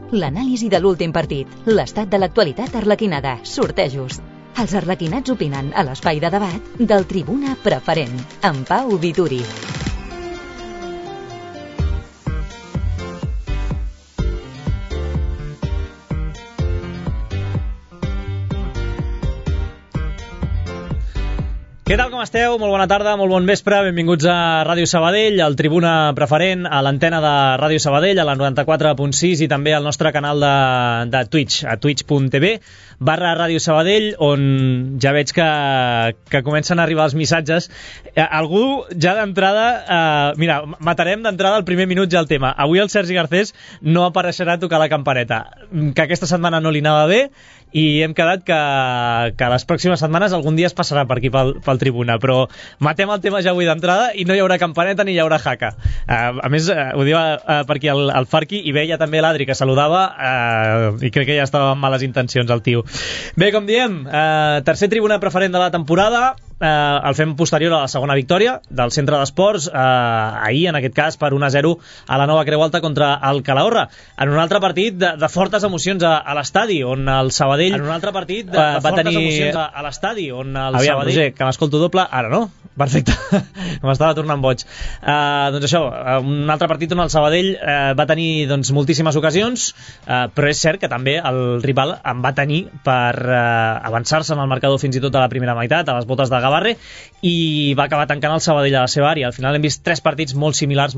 L'anàlisi de l'últim partit, l'estat de l'actualitat arlequinada, sortejos. Els arlequinats opinen a l'espai de debat del Tribuna Preferent, amb Pau Vituri. Què tal, com esteu? Molt bona tarda, molt bon vespre. Benvinguts a Ràdio Sabadell, al Tribuna Preferent, a l'antena de Ràdio Sabadell, a la 94.6 i també al nostre canal de Twitch, a twitch.tv/Ràdio Sabadell, on ja veig que comencen a arribar els missatges. Algú ja d'entrada... mira, matarem d'entrada el primer minut ja el tema. Avui el Sergi Garcés no apareixerà a tocar la campaneta, que aquesta setmana no li anava bé, i hem quedat que les pròximes setmanes algun dia es passarà per aquí pel Tribuna, però matem el tema ja avui d'entrada i no hi haurà campaneta ni hi haurà jaca. A més, ho diu per aquí el Farqui, i veia també l'Adri que saludava, i crec que ja estava amb males intencions el tio. Bé, com diem, tercer Tribuna Preferent de la temporada, el fem posterior a la segona victòria del Centre d'Esports, ahir en aquest cas per 1-0 a la Nova Creu Alta contra el Calahorra, en un altre partit de fortes emocions a l'estadi, on el Sabadell va tenir a l'estadi, on el Sabadell... Roger, que m'escolto doble, ara no? Perfecte, m'estava tornant boig. Doncs això, un altre partit on el Sabadell va tenir doncs, moltíssimes ocasions, però és cert que també el rival en va tenir per avançar-se en el marcador fins i tot a la primera meitat, a les botes de Gavarre, i va acabar tancant el Sabadell a la seva àrea. Al final hem vist tres partits molt similars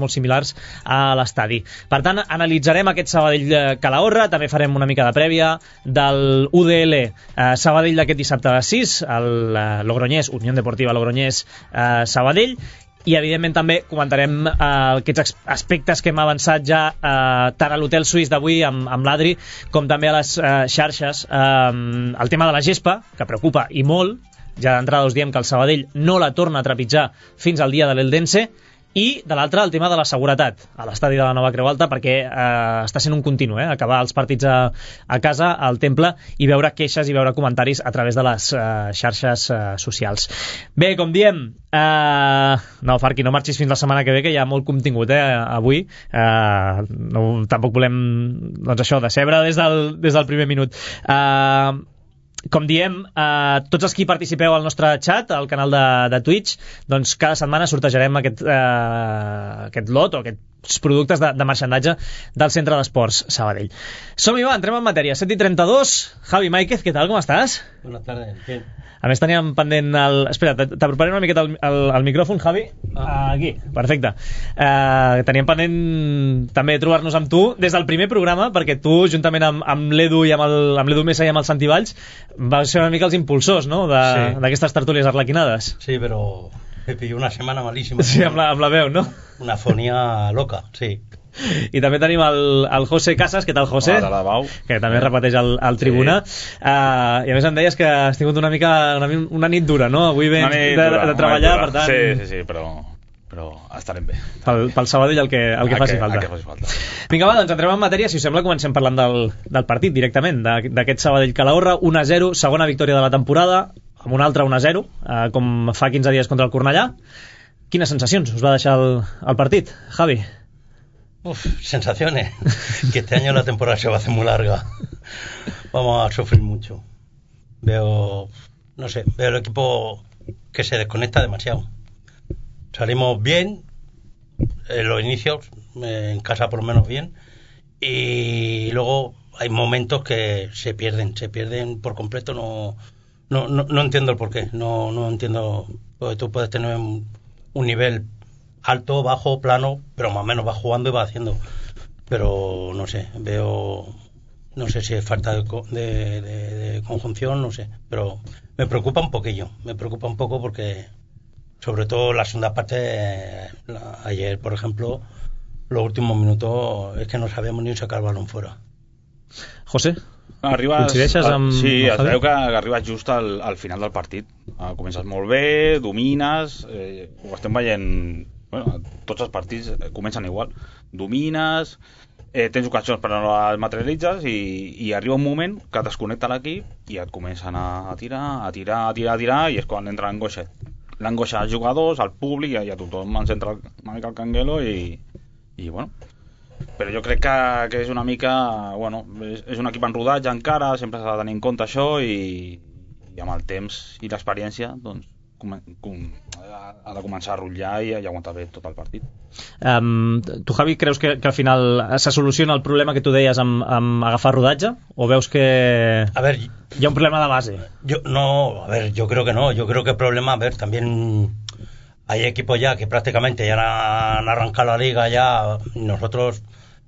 a l'estadi. Per tant, analitzarem aquest Sabadell-Calahorra, també farem una mica de prèvia del UDL Sabadell d'aquest dissabte a les 6, el Logroñés, Unión Deportiva Logroñés Sabadell, i evidentment també comentarem aquests aspectes que hem avançat ja tant a l'hotel suís d'avui amb l'Adri com també a les xarxes, el tema de la gespa, que preocupa i molt. Ja d'entrada us diem que el Sabadell no la torna a trepitjar fins al dia de l'Eldense, i de l'altre el tema de la seguretat a l'estadi de la Nova Creu Alta, perquè està sent un continu, acabar els partits a casa, al Temple, i veure queixes i veure comentaris a través de les xarxes socials. Bé, com diem, no, Farqui, no marxis fins la setmana que ve, que hi ha molt contingut avui, tampoc volem doncs això, decebre des del primer minut. Com diem, tots els qui participeu al nostre chat, al canal de Twitch, doncs cada setmana sortejarem aquest lot o aquests productes de marxandatge del Centre d'Esports Sabadell. Som-hi, va, entrem en matèria. 7:32, Javi Máiquez, què tal, com estàs? Buenas tardes, bien. A més teníem pendent Espera, t'aproparé una miqueta el micròfon, Javi. Aquí, perfecte. Teníem pendent també trobar-nos amb tu des del primer programa, perquè tu, juntament amb l'Edu i amb l'Edu Mesa i amb el Santi Valls, vas ser una mica els impulsors, no?, d'aquestes tertúlies arlequinades. Sí, pero me pilló una semana malísima. Sí, amb la veu, no? Una fonía loca, sí. I també tenim el José Casas. Què tal, José? Hola, Bau. Que també repeteix al Tribuna. I a més em deies que has tingut una nit dura, no? Avui vens de treballar, per tant... Sí, però estarem bé. Pel Sabadell el que faci falta. Vinga, va, doncs entrem en matèria. Si us sembla, comencem parlant del partit directament, d'aquest Sabadell-Calahorra. 1-0, segona victòria de la temporada, amb un altre 1-0, com fa 15 dies contra el Cornellà. Quines sensacions us va deixar el partit, Javi? Sensaciones. Que este año la temporada se va a hacer muy larga. Vamos a sufrir mucho. Veo el equipo que se desconecta demasiado. Salimos bien en los inicios, en casa por lo menos bien, y luego hay momentos que se pierden por completo. No entiendo el porqué. No entiendo, porque tú puedes tener un nivel alto, bajo, plano, pero más o menos va jugando y va haciendo. Pero no sé, no sé si es falta de conjunción, no sé, pero me preocupa un poquillo, porque sobre todo la segunda parte, ayer por ejemplo, los últimos minutos es que no sabíamos ni sacar el balón fuera. José, coincideixes amb... Sí, es veu que arribes just al final del partit. Comences molt bé, domines, ho estem veient... Bueno, tots els partits comencen igual. Domines, tens ocasions però no les materialitzes, i arriba un moment que et desconnecta l'equip i et comencen a tirar, i és quan entra l'angoixa als jugadors, al públic, i a tothom ens entra una mica el canguelo, i bueno, però jo crec que és una mica, bueno, és un equip en rodatge encara, sempre s'ha de tenir en compte això i amb el temps i l'experiència doncs ha de començar a rotllar i aguantar bé tot el partit. Tu, Javi, creus que al final se soluciona el problema que tu deies amb agafar rodatge? O veus que hi ha un problema de base? Yo creo que no. Yo creo que el problema, también hay equipos ya que prácticamente ya han arrancado la liga ya. Nosotros,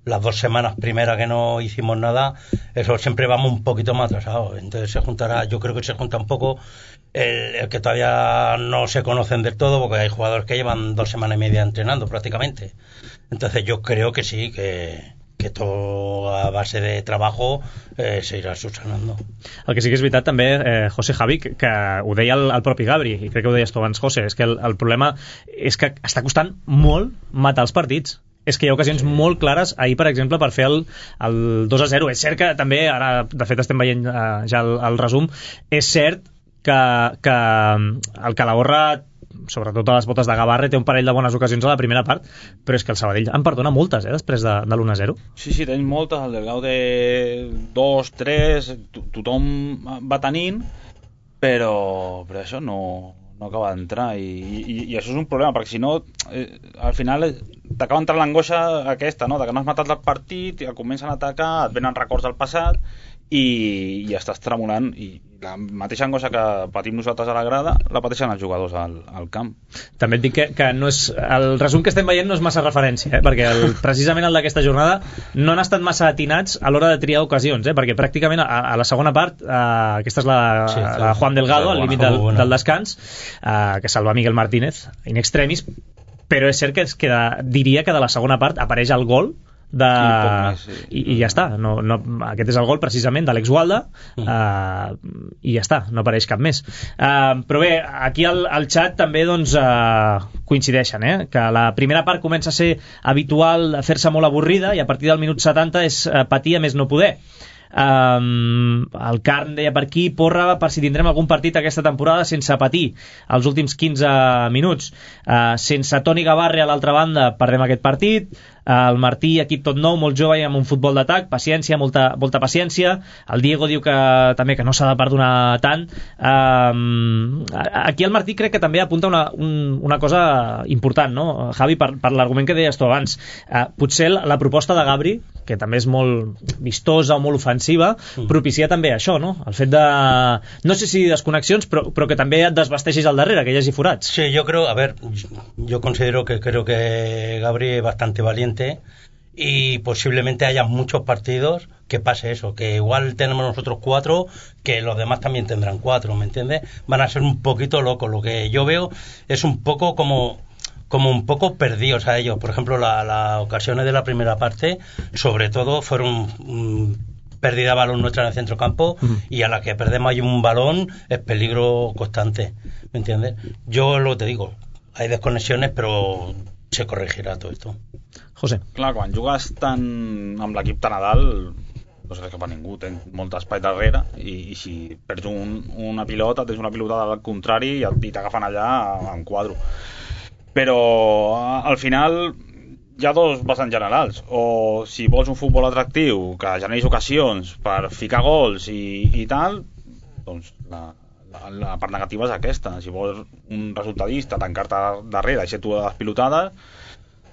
las 2 semanas primeras que no hicimos nada, eso siempre vamos un poquito más atrasados. Entonces yo creo que se junta un poco el que todavía no se conocen del todo, porque hay jugadores que llevan 2 semanas y media entrenando prácticamente. Entonces yo creo que sí, que todo a base de trabajo se irà subsanando. El que sí que és veritat també, José, Javi, que ho deia el propi Gabri, i crec que ho deies tu abans, José, és que el problema és que està costant molt matar els partits. És que hi ha ocasions molt clares, ahir per exemple, per fer el 2-0. És cert que també, ara de fet estem veient ja el resum, és cert que el Calahorra, sobretot a les botes de Gavarre, té un parell de bones ocasions a la primera part, però és que el Sabadell en perdona moltes, després de l'1-0. Sí, tens moltes, el del Gaude 2, 3, tothom va tenint, però això no acaba d'entrar i això és un problema, perquè si no al final t'acaba entrant l'angoixa aquesta, no? De que no has matat el partit i et comencen a atacar, et venen records del passat i estàs tremolant, i la mateixa angoixa que patim nosaltres a la grada la pateixen els jugadors al camp. També et dic que no és, el resum que estem veient no és massa referència, perquè precisament el d'aquesta jornada no han estat massa atinats a l'hora de triar ocasions, perquè pràcticament a la segona part, aquesta és la Juan Delgado, al límit del descans, que salva Miguel Martínez in extremis, però és cert que diria que de la segona part apareix el gol i ja està, aquest és el gol precisament d'Àlex Gualda, i ja està, no apareix cap més. Però bé, aquí al xat també doncs coincideixen, que la primera part comença a ser habitual fer-se molt avorrida i a partir del minut 70 és patir a més no poder. El Carn deia per aquí, porra per si tindrem algun partit aquesta temporada sense patir els últims 15 minuts, sense Toni Gavarre a l'altra banda perdem aquest partit. El Martí, equip tot nou, molt jove i amb un futbol d'atac, paciència, molta paciència. El Diego diu que també que no s'ha de perdonar tant. Aquí el Martí crec que també apunta una cosa important, no, Javi, per l'argument que deies tu abans. Potser la proposta de Gabri, que també és molt vistosa o molt ofensiva, propicia també això, no? El fet de, no sé si desconnexions, però que també et desvesteixis al darrere, que hi hagi forats. Sí, yo considero que Gabri es bastante valiente y posiblemente haya muchos partidos que pase eso, que igual tenemos nosotros 4, que los demás también tendrán 4, ¿me entiendes? Van a ser un poquito locos. Lo que yo veo es un poco como un poco perdidos a ellos. Por ejemplo, las ocasiones de la primera parte, sobre todo, fueron pérdida de balón nuestra en el centrocampo, y a la que perdemos hay un balón es peligro constante, ¿me entiendes? Yo lo que te digo, hay desconexiones, però se corregirà tot esto. José. Clar, quan jugues amb l'equip tan a dalt, no sé cap a ningú, tens molt espai darrere, i si perds una pilota, tens una pilota al contrari i t'agafen allà en quadro. Però al final hi ha dos vessants generals: o si vols un futbol atractiu que generis ocasions per ficar gols i tal, doncs la part negativa és aquesta. Si vols un resultadista, tancar-te darrere i ser tu les pilotades,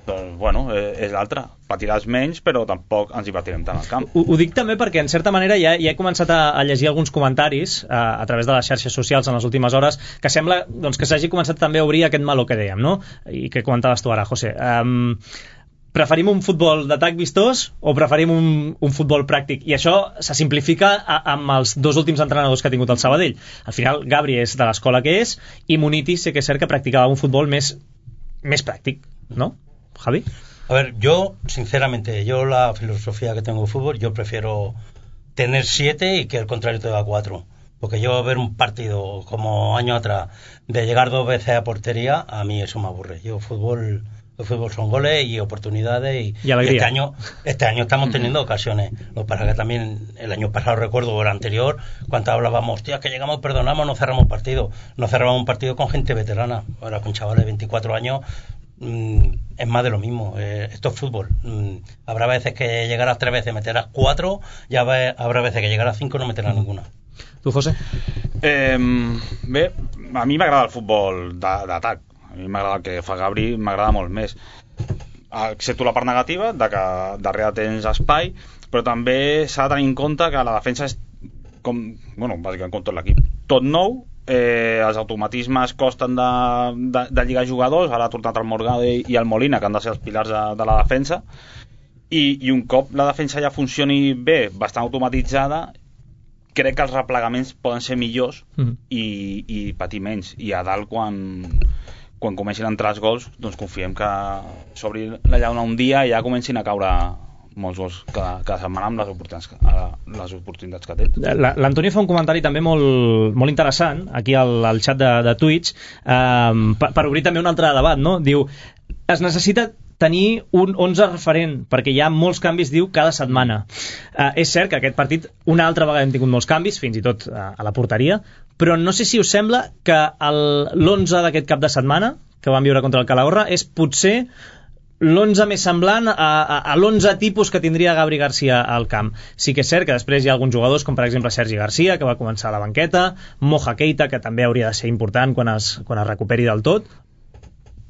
doncs bueno, és l'altra. Patiràs menys, però tampoc ens hi patirem tant al camp. Ho dic també perquè en certa manera ja he començat a llegir alguns comentaris a través de les xarxes socials en les últimes hores, que sembla doncs, que s'hagi començat també a obrir aquest meló que dèiem, no? I que comentaves tu ara, José. Preferim un futbol d'atac vistós o preferim un futbol pràctic? I això se simplifica amb els dos últims entrenadors que ha tingut el Sabadell. Al final Gabri és de l'escola que és, i Muniti sí que és cert que practicava un futbol més pràctic, ¿no, Javi? A ver, yo sinceramente, la filosofía que tengo de fútbol, yo prefiero tener 7 y que el contrario te da 4, porque yo ver un partido como año atrás de llegar 2 veces a portería, a mí eso me aburre. El fútbol son goles y oportunidades, y este año estamos teniendo ocasiones. Lo que pasa que también el año pasado, recuerdo, o el anterior, cuando hablábamos, hostia, que llegamos, perdonamos, no cerramos partido. No cerramos un partido con gente veterana. Ahora con chavales de 24 años es más de lo mismo. Esto es fútbol. Habrá veces que llegarás 3 veces, meterás 4, ya habrá veces que llegarás 5 no meterás ninguna. Tu, José? Bé, a mi m'agrada el futbol d'atac. A mi m'agrada el que fa Gabri, m'agrada molt més. Excepto la part negativa, de que darrere tens espai, però també s'ha de tenir en compte que la defensa és bàsicament com tot l'equip. Tot nou, els automatismes costen de lligar jugadors, ara ha tornat el Morgado i el Molina, que han de ser els pilars de la defensa, i un cop la defensa ja funcioni bé, bastant automatitzada, crec que els replegaments poden ser millors i patir menys. I a dalt, quan comencin a entrar els gols, doncs confiem que s'obri la llauna un dia i ja comencin a caure molts gols cada setmana amb les oportunitats que té. L'Antonio fa un comentari també molt interessant aquí al xat de Twitch, per obrir també un altre debat, no? Diu, es necessita tenir un 11 referent, perquè hi ha molts canvis, diu, cada setmana. És cert que aquest partit una altra vegada hem tingut molts canvis, fins i tot a la porteria, però no sé si us sembla que l'11 d'aquest cap de setmana, que vam viure contra el Calahorra, és potser l'11 més semblant a l'11 tipus que tindria Gabri García al camp. Sí que és cert que després hi ha alguns jugadors, com per exemple Sergi García, que va començar a la banqueta, Moja Keita, que també hauria de ser important quan es recuperi del tot,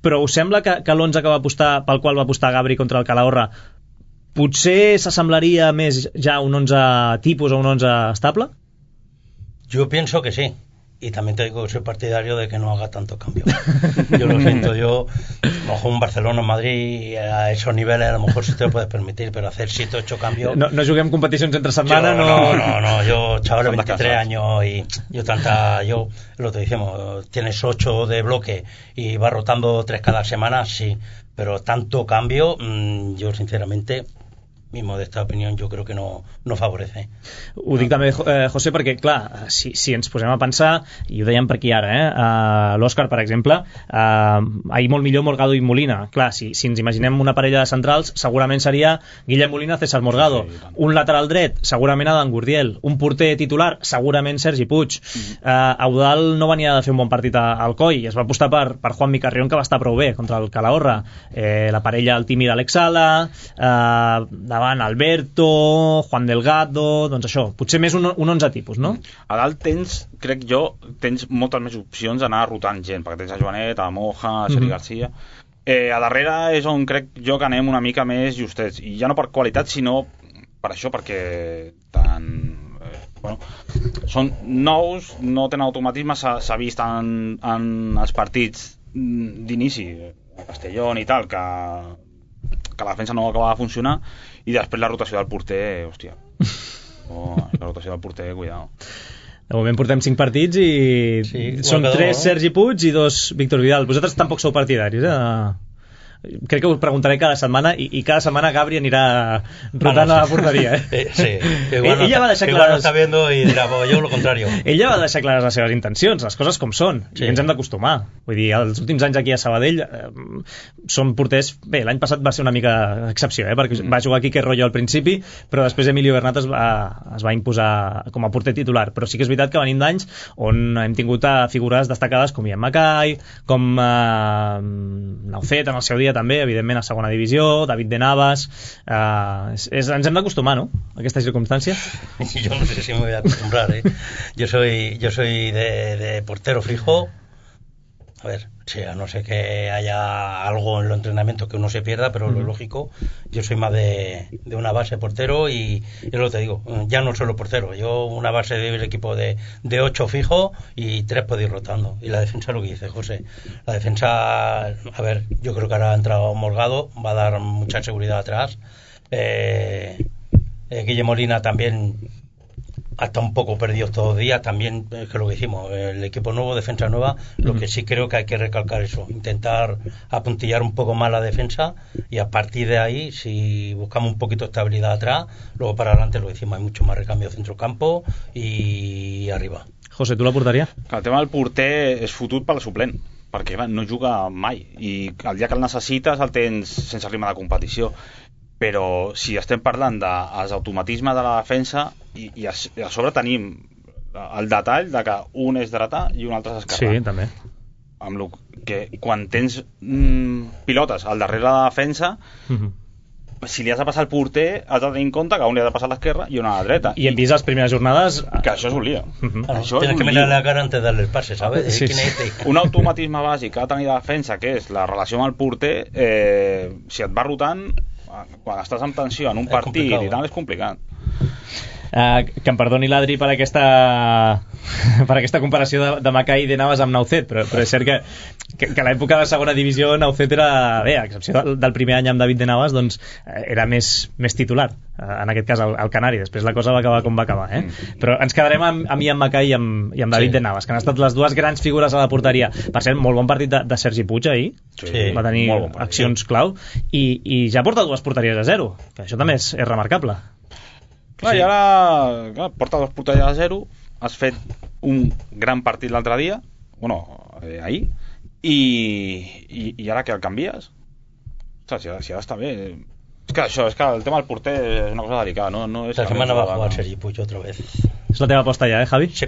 però us sembla que l'11 pel qual va apostar Gabri contra el Calahorra potser s'assemblaria més ja a un 11 tipus o un 11 estable? Yo pienso que sí. Y también te digo que soy partidario de que no haga tantos cambios. Yo lo siento, a lo mejor un Barcelona o Madrid a esos niveles a lo mejor sí te lo puedes permitir, pero hacer 7 o 8 cambios... No juguem competicions entre setmana, no, yo chaval de 23 años y lo que decimos, tienes 8 de bloque y vas rotando 3 cada semana, sí, pero tanto cambio, yo sinceramente... mi modesta opinió, jo crec que no favorece. Ho dic també, José, perquè, clar, si ens posem a pensar, i ho dèiem per aquí ara, l'Òscar, per exemple, ahir molt millor Morgado i Molina. Clar, si ens imaginem una parella de centrals, segurament seria Guillem Molina, César Morgado. Un lateral dret, segurament Adam Gurdiel. Un porter titular, segurament Sergi Puig. Eudal no venia de fer un bon partit al Coi, es va apostar per Juanmi Carrión, que va estar prou bé contra el Calahorra. La parella, el tímid Alex Sala, davant Alberto, Juan Delgado, doncs això, potser més un 11 tipus, no? A dalt crec jo, tens moltes més opcions d'anar rotant gent, perquè tens a Joanet, a Moja, a Sergi García. A darrere és on crec jo que anem una mica més justets, i ja no per qualitat, sinó per això, perquè són nous, no tenen automatisme, s'ha vist en els partits d'inici, a Castellón i tal, que la defensa no acaba de funcionar, i després la rotació del porter, hòstia, la rotació del porter, cuidado. De moment portem 5 partits i són 3 Sergi Puig i 2 Víctor Vidal. Vosaltres tampoc sou partidaris, Crec que us preguntaré cada setmana i cada setmana Gabri anirà rotant a la porteria, Sí, igual ella va deixar clares... no està viendo i dirà, jo lo contrario. Ella va deixar clares les seves intencions, les coses com són, i ens hem d'acostumar. Vull dir, els últims anys aquí a Sabadell són porters... Bé, l'any passat va ser una mica excepció, perquè va jugar Quique Royo al principi, però després Emilio Bernat es va imposar com a porter titular. Però sí que és veritat que venim d'anys on hem tingut figures destacades com Ian Mackay, com Naucet en el seu dia també, evidentment a segona divisió, David de Navas. Ens hem d'acostumar, ¿no?, a aquesta circunstància. Yo no sé si me voy a acostumbrar, Yo soy de portero fijo. A ver, sí, a no ser que haya algo en los entrenamientos que uno se pierda, pero lo lógico, yo soy más de una base portero y lo que te digo, ya no solo portero, yo una base del equipo de 8 fijo y 3 puedo ir rotando. Y la defensa, lo que dice José, la defensa, a ver, yo creo que ahora ha entrado Morgado, va a dar mucha seguridad atrás. Guillermo Molina también hasta un poco perdidos todos los días, también es que lo que hicimos, el equipo nuevo, defensa nueva, lo que sí creo que hay que recalcar eso, intentar apuntillar un poco más la defensa y a partir de ahí, si buscamos un poquito de estabilidad atrás, luego para adelante lo que decimos, hay mucho más recambio centrocampo y arriba. José, tu la porteria? El tema del porter és fotut pel suplent, perquè no juga mai i el dia que el necessites el tens sense ritme de competició. Però si estem parlant dels automatismes de la defensa i a sobre tenim el detall de que un és dretà i un altre és esquerrà. Sí, també. amb lo que quan tens pilotes al darrere de la defensa, si li has de passar el porter has de tenir en compte que un li ha de passar a l'esquerra i una a la dreta. I hem vist les primeres jornades que això és un lío. Tienes que mirar la cara antes de darle el pase, ¿sabes? Sí. Un automatisme bàsic que ha de tenir la defensa, que és la relació amb el porter, si et va rotant, quan estàs en tensió en un partit i tal, és complicat. Que em perdoni l'Adri per aquesta comparació de Macai de Navas amb Naucet, però és cert que a l'època de segona divisió Naucet era, bé, a excepció del primer any amb David de Navas, doncs era més titular, en aquest cas el Canari. Després la cosa va acabar com va acabar, però ens quedarem amb Ian Macai i amb David de Navas, que han estat les dues grans figures a la porteria. Per cert, molt bon partit de Sergi Puig ahir, va tenir accions clau i ja porta 2 porteries a 0, que això també és remarcable. Clar, i ara porta 2 porteries a 0, has fet un gran partit l'altre dia, ahir, i ara que el canvies? Si ara està bé. És que el tema del porter és una cosa delicada, no és... La setmana va jugar Sergi Puig otra vez. És la teva aposta ja, Javi? Sí.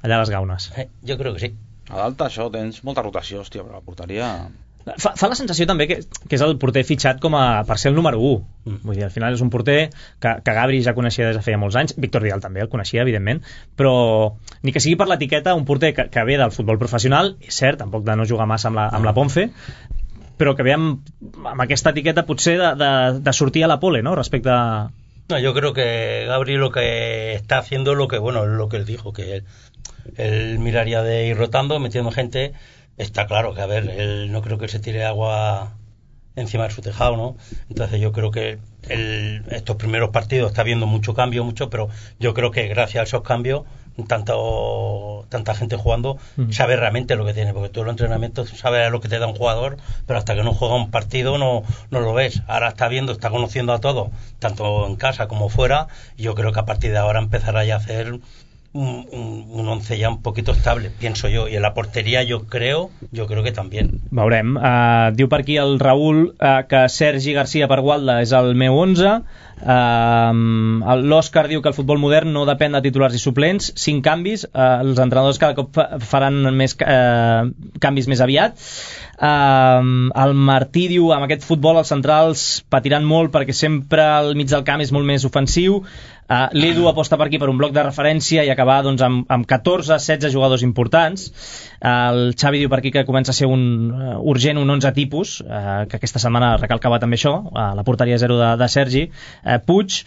Allà a les Gaunes. Jo crec que sí. A dalt això tens molta rotació, hòstia, però la porteria... Fa la sensació també que és el porter fitxat per ser el número 1. Vull dir, al final és un porter que Gabri ja coneixia des de feia molts anys, Víctor Vidal també el coneixia, evidentment, però ni que sigui per l'etiqueta, un porter que ve del futbol professional, és cert, tampoc de no jugar massa amb la Ponfe, però que ve amb aquesta etiqueta potser de sortir a la pole, ¿no? Respecte a... No, yo creo que Gabri lo que está haciendo es lo que él dijo, que él miraría de ir rotando, metiendo gente. Está claro que, a ver, él no creo que se tire agua encima de su tejado, ¿no? Entonces yo creo que estos primeros partidos está habiendo mucho cambio, pero yo creo que gracias a esos cambios, tanta gente jugando, sabe realmente lo que tiene, porque tú en los entrenamientos sabes lo que te da un jugador, pero hasta que no juega un partido no lo ves. Ahora está conociendo a todos, tanto en casa como fuera, y yo creo que a partir de ahora empezará ya a hacer un once ya un poquito estable, pienso yo, y en la portería yo creo que también. Veurem. Diu per aquí el Raül que Sergi Garcia per Gualda és el meu 11. L'Òscar diu que el futbol modern no depèn de titulars i suplents, 5 canvis, els entrenadors cada cop faran més canvis més aviat. El Martí diu amb aquest futbol els centrals patiran molt perquè sempre al mig del camp és molt més ofensiu. L'Edu aposta per aquí per un bloc de referència i acabar doncs, amb 14-16 jugadors importants. El Xavi diu per aquí que comença a ser urgent un 11 tipus, que aquesta setmana recalcava també això, la porteria 0 de Sergi Puig,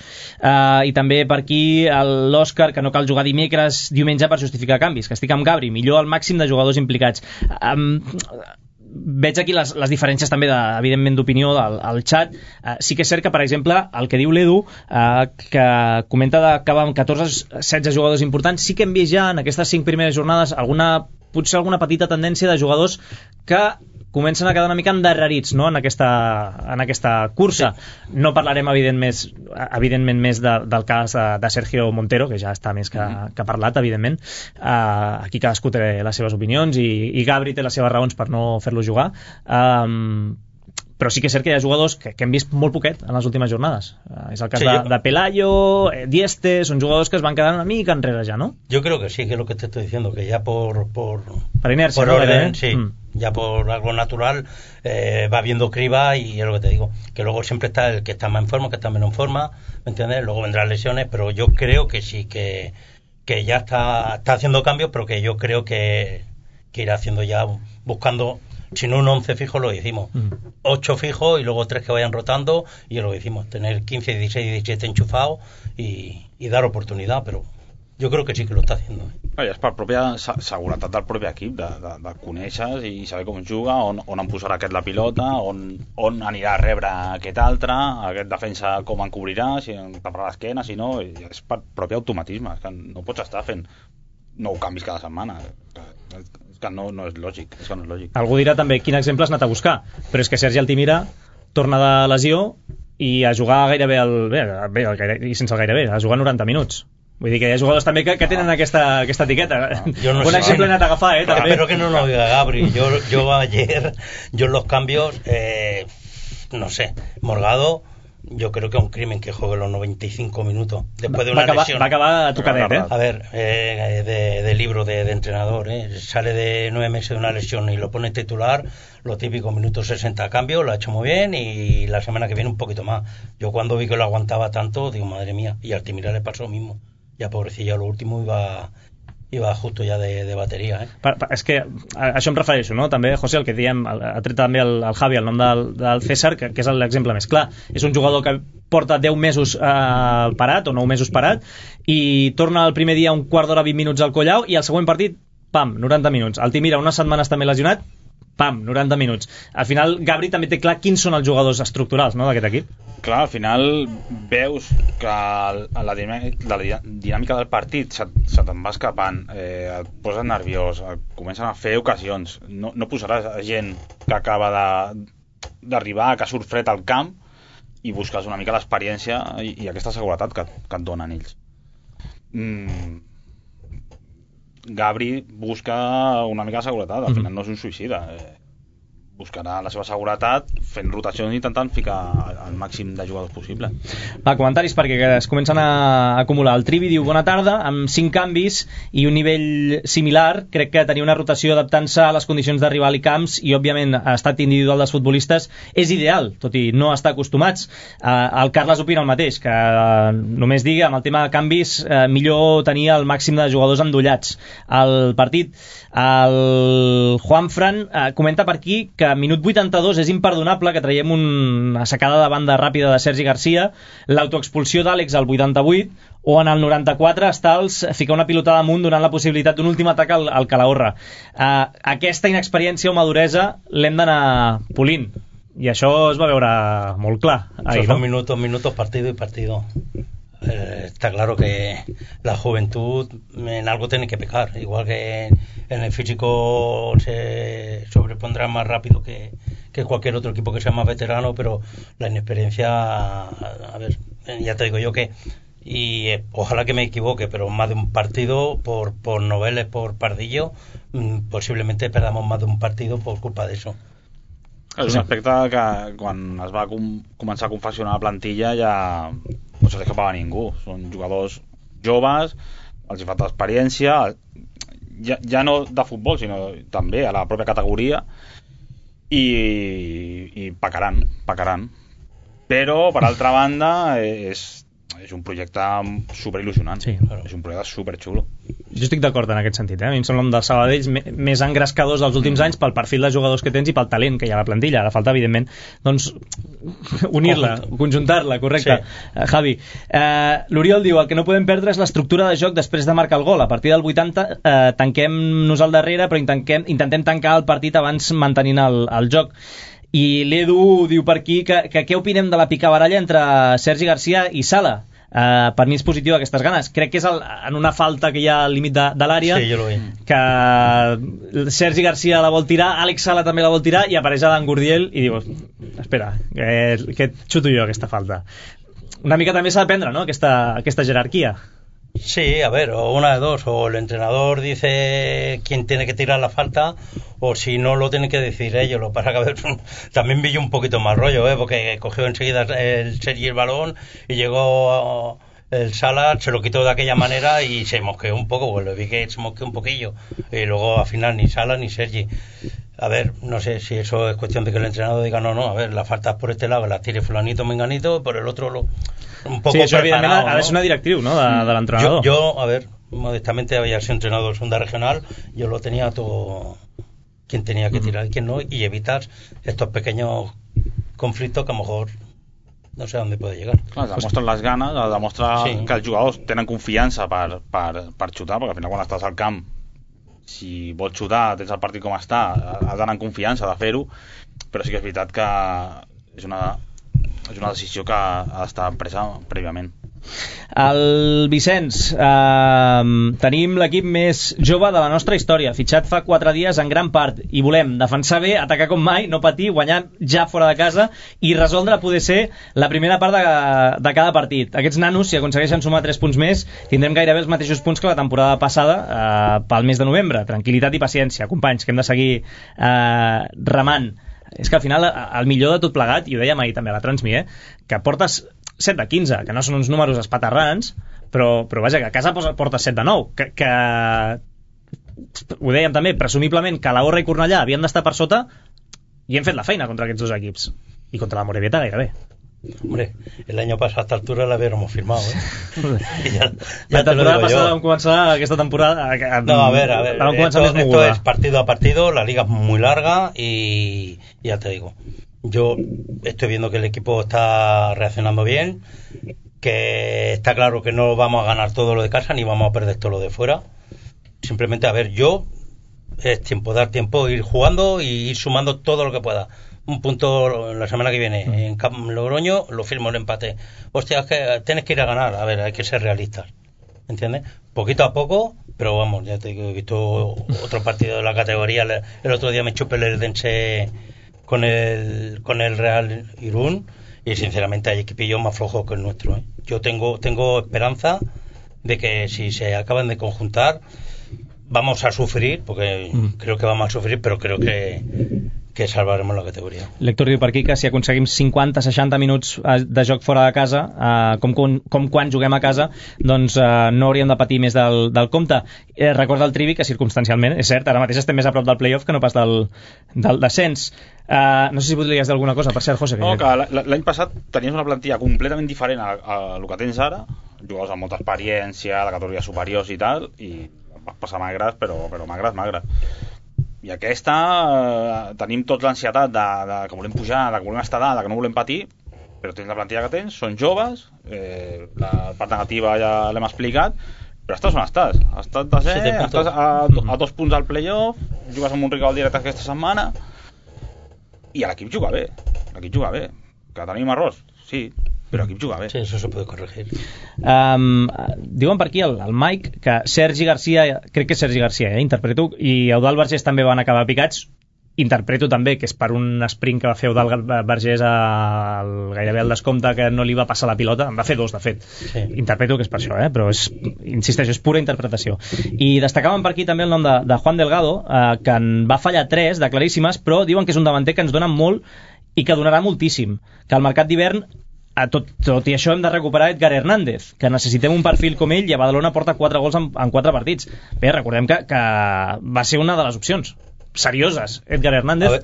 i també per aquí l'Òscar que no cal jugar diumenge per justificar canvis, que estic amb Gabri, millor el màxim de jugadors implicats. Veig aquí les diferències també evidentment d'opinió al xat. Sí que és cert que, per exemple, el que diu l'Edu, que comenta d'acabar amb 14-16 jugadors importants, sí que hem vist ja en aquestes 5 primeres jornades potser alguna petita tendència de jugadors que comencen a quedar una mica endarrerits, no? en aquesta cursa. No parlarem evidentment més del cas de Sergio Montero, que ja està més que parlat, evidentment. Aquí cadascú té les seves opinions i Gabri té les seves raons per no fer-lo jugar. Però sí que és cert que hi ha jugadors que hem vist molt poquet en les últimes jornades. És el cas de Pelayo, Dieste, son jugadors que es van quedar una mica enrere ya, ¿no? Yo creo que sí, que es lo que te estoy diciendo, que ya por inercia, por orden, sí, ya por algo natural va viendo criba, y es lo que te digo, que luego siempre está el que está más en forma, que está menos en forma, ¿me entiendes? Luego vendrán lesiones, pero yo creo que sí, que ya está haciendo cambios, pero que yo creo que irá haciendo ya, buscando... Si no un 11 fijo lo hicimos, 8 fijos y luego 3 que vayan rotando, y lo hicimos, tener 15, 16, 17 enchufados y dar oportunidad, però jo crec que sí que lo està haciendo. És per pròpia seguretat del propi equip, de conèixer i saber com juga, on em posarà aquest la pilota, on anirà a rebre aquest altre, aquest defensa com en cobrirà, si em taparà l'esquena, si no, és per propi automatisme, és que no pots estar fent 9 canvis cada setmana. Que no és lògic, Algú dirà també quin exemple has anat a buscar, però és que Sergi Altimira torna de lesió i a jugar gairebé i sense el gairebé, a jugar 90 minuts. Vull dir que hi ha jugadors també que tenen aquesta etiqueta. No un exemple he anat a agafar, també. Pero que no lo diga Gabri. Yo ayer, en los cambios, no sé, Morgado yo creo que es un crimen que juegue los 95 minutos después de una lesión. Va a acabar tocadet, A ver, de libro de entrenador, sale de 9 meses de una lesión y lo pone titular, los típicos minutos 60 a cambio, lo ha hecho muy bien, y la semana que viene un poquito más. Yo cuando vi que lo aguantaba tanto, digo, madre mía, y a Altimira le pasó lo mismo. Ya pobrecillo, lo último iba justo ja de bateria, És que a això em refereixo, no? També, José, el que diem, ha tret també el Javi el nom del César, que és l'exemple més clar. És un jugador que porta 10 mesos parat, o 9 mesos parat, i torna el primer dia un quart d'hora, 20 minuts al Collau, i el següent partit, pam, 90 minuts. Altimira, unes setmanes també lesionat, pam, 90 minuts. Al final, Gabri també té clar quins són els jugadors estructurals, no?, d'aquest equip. Clar, al final veus que la dinàmica del partit se te'n va escapant, et poses nerviós, comencen a fer ocasions. No posaràs gent que acaba d'arribar, que surt fred al camp, i busques una mica l'experiència i aquesta seguretat que et donen ells. Gabri busca una mica de seguretat, al final no és un suïcida, buscarà la seva seguretat fent rotacions i intentant ficar el màxim de jugadors possible. Va, comentaris perquè es comencen a acumular. El Trivi diu, bona tarda, amb 5 canvis i un nivell similar, crec que tenir una rotació adaptant-se a les condicions de rival i camps i òbviament estat individual dels futbolistes és ideal, tot i no estar acostumats. El Carles opina el mateix, que només digui, amb el tema de canvis, millor tenir el màxim de jugadors endollats al partit. El Juanfran comenta per aquí que a minut 82 és imperdonable que traiem una sacada de banda ràpida de Sergi Garcia, l'autoexpulsió d'Àlex al 88, o en el 94 Stals ficar una pilotada amunt donant la possibilitat d'un últim atac al Calahorra. Aquesta inexperiència o maduresa l'hem d'anar polint, i això es va veure molt clar ahir, son no? minutos, partido y partido. Está claro que la juventud en algo tiene que pecar, igual que en el físico se sobrepondrá más rápido que cualquier otro equipo que sea más veterano, pero la inexperiencia, a ver, ya te digo yo que, y ojalá que me equivoque, pero más de un partido por Noveles, por Pardillo, posiblemente perdamos más de un partido por culpa de eso. És un aspecte que quan es va començar a confeccionar la plantilla ja no se li escapava a ningú. Són jugadors joves, els hi falta experiència, ja no de futbol, sinó també a la pròpia categoria, i pecaran. Però, per altra banda, és un projecte superil·lusionant. Sí. És un projecte superxulo. Jo estic d'acord en aquest sentit, A mi em sembla un dels Sabadells més engrescadors dels últims anys pel perfil de jugadors que tens i pel talent que hi ha a la plantilla. Ara falta, evidentment, doncs, unir-la, conjuntar-la, correcte. Sí. Javi, l'Oriol diu, el que no podem perdre és l'estructura de joc després de marcar el gol. A partir del 80 tanquem-nos al darrere, però intentem tancar el partit abans mantenint el joc. I l'Edu diu per aquí que què opinem de la picabaralla entre Sergi Garcia i Sala? Per mi és positiu aquestes ganes. Crec que és en una falta que hi ha al límit de l'àrea, sí, jo lo veig, que Sergi Garcia la vol tirar, Àlex Sala també la vol tirar, i apareix Adam Gurdiel i diu, espera, que xuto jo aquesta falta. Una mica també s'ha d'aprendre, no?, aquesta jerarquia. Sí, a ver, o una de dos, o el entrenador dice quién tiene que tirar la falta, o si no lo tienen que decir ellos. Lo que pasa que a ver, también vi yo un poquito más rollo, porque cogió enseguida el Sergi el balón y llegó el Sala, se lo quitó de aquella manera y se mosqueó un poco, pues le vi que se mosqueó un poquillo, y luego al final ni Sala ni Sergi. A ver, no sé si eso es cuestión de que el entrenador diga no, a ver, las faltas por este lado, las tire fulanito, menganito, por el otro un poco sí, això evidentment ha de ¿no? ser una directriu, ¿no?, de l'entrenador. Yo, a ver, modestamente había sido entrenador de segunda regional, yo lo tenía todo, quién tenía que tirar y quién no, y evitar estos pequeños conflictos que a lo mejor no sé a dónde puede llegar. Clar, demostren les ganes, demostra sí, que els jugadors tenen confiança per xutar, perquè al final quan estàs al camp, si vols xutar, tens el partit com està, has d'anar amb confiança de fer-ho, però sí que és veritat que és una decisió que ha d'estar presa prèviament. El Vicenç, tenim l'equip més jove de la nostra història, fitxat fa 4 dies en gran part, i volem defensar bé, atacar com mai, no patir, guanyar ja fora de casa i resoldre poder ser la primera part de cada partit. Aquests nanos, si aconsegueixen sumar 3 punts més, tindrem gairebé els mateixos punts que la temporada passada pel mes de novembre. Tranquil·litat i paciència, companys, que hem de seguir remant. és que al final el millor de tot plegat, i ho dèiem ahir també a la Transmi, que portes 7 de 15, que no són uns números espaterrants, però vaja, que a casa portes 7 de 9, que ho dèiem també, presumiblement que la Horra i Cornellà havien d'estar per sota i hem fet la feina contra aquests dos equips i contra la Morevieta gairebé. Hombre, el año pasado a esta altura la hubiéramos firmado, la temporada pasada vam començar aquesta temporada no, a ver, esto es partido a partido, la liga es muy larga y ya te digo, yo estoy viendo que el equipo está reaccionando bien, que está claro que no vamos a ganar todo lo de casa ni vamos a perder todo lo de fuera. Simplemente, a ver, es dar tiempo, ir jugando y ir sumando todo lo que pueda. Un punto la semana que viene en Logroño, lo firmo el empate. Hostia, es que tienes que ir a ganar. A ver, hay que ser realistas, ¿entiendes? Poquito a poco, pero vamos, ya te digo, he visto otro partido de la categoría. El otro día me chupé el Dense con el Real Irún y sinceramente hay equipillos más flojos que el nuestro, ¿eh? Yo tengo esperanza de que si se acaban de conjuntar vamos a sufrir, porque creo que vamos a sufrir, però creo que salvaremos la categoria. L'Héctor diu per aquí que si aconseguim 50-60 minuts de joc fora de casa, com quan juguem a casa, doncs no hauríem de patir més del compte. Recorda el Trivi que circumstancialment, és cert, ara mateix estem més a prop del playoff que no pas del descens. No sé si podries dir alguna cosa, per cert, José. No, que l'any passat tenies una plantilla completament diferent a el que tens ara, jugadors amb molta experiència, de categories superiors i tal, i vas passar magres, però magres. I aquesta tenim tots l'ansietat de que volem pujar, de que volem estar dalt, de que no volem patir, però tens la plantilla que tens, són joves, la part negativa ja l'hem explicat, però estàs on estàs. Estàs a 2 punts al playoff, jugues amb un rival directe aquesta setmana i l'equip juga bé. Que tenim errors, sí, però l'equip juga bé. Sí, eso se puede corregir. Diuen per aquí el Mike que Sergi Garcia, crec que és Sergi Garcia, interpreto, i Eudald Vergés també van acabar picats. Interpreto també que és per un sprint que va fer Eudald Vergés gairebé al descompte, que no li va passar la pilota, en va fer 2 de fet. Sí. Interpreto que és per això, però insisteixo, és pura interpretació. I destacaven per aquí també el nom de Juan Delgado, que en va fallar 3 de claríssimes, però diuen que és un davanter que ens dona molt i que donarà moltíssim, que al mercat d'hivern tot i això hem de recuperar Edgar Hernández, que necessitem un perfil com ell, i a Badalona porta 4 gols en 4 partits. Bé, recordem que va ser una de les opcions serioses, Edgar Hernández.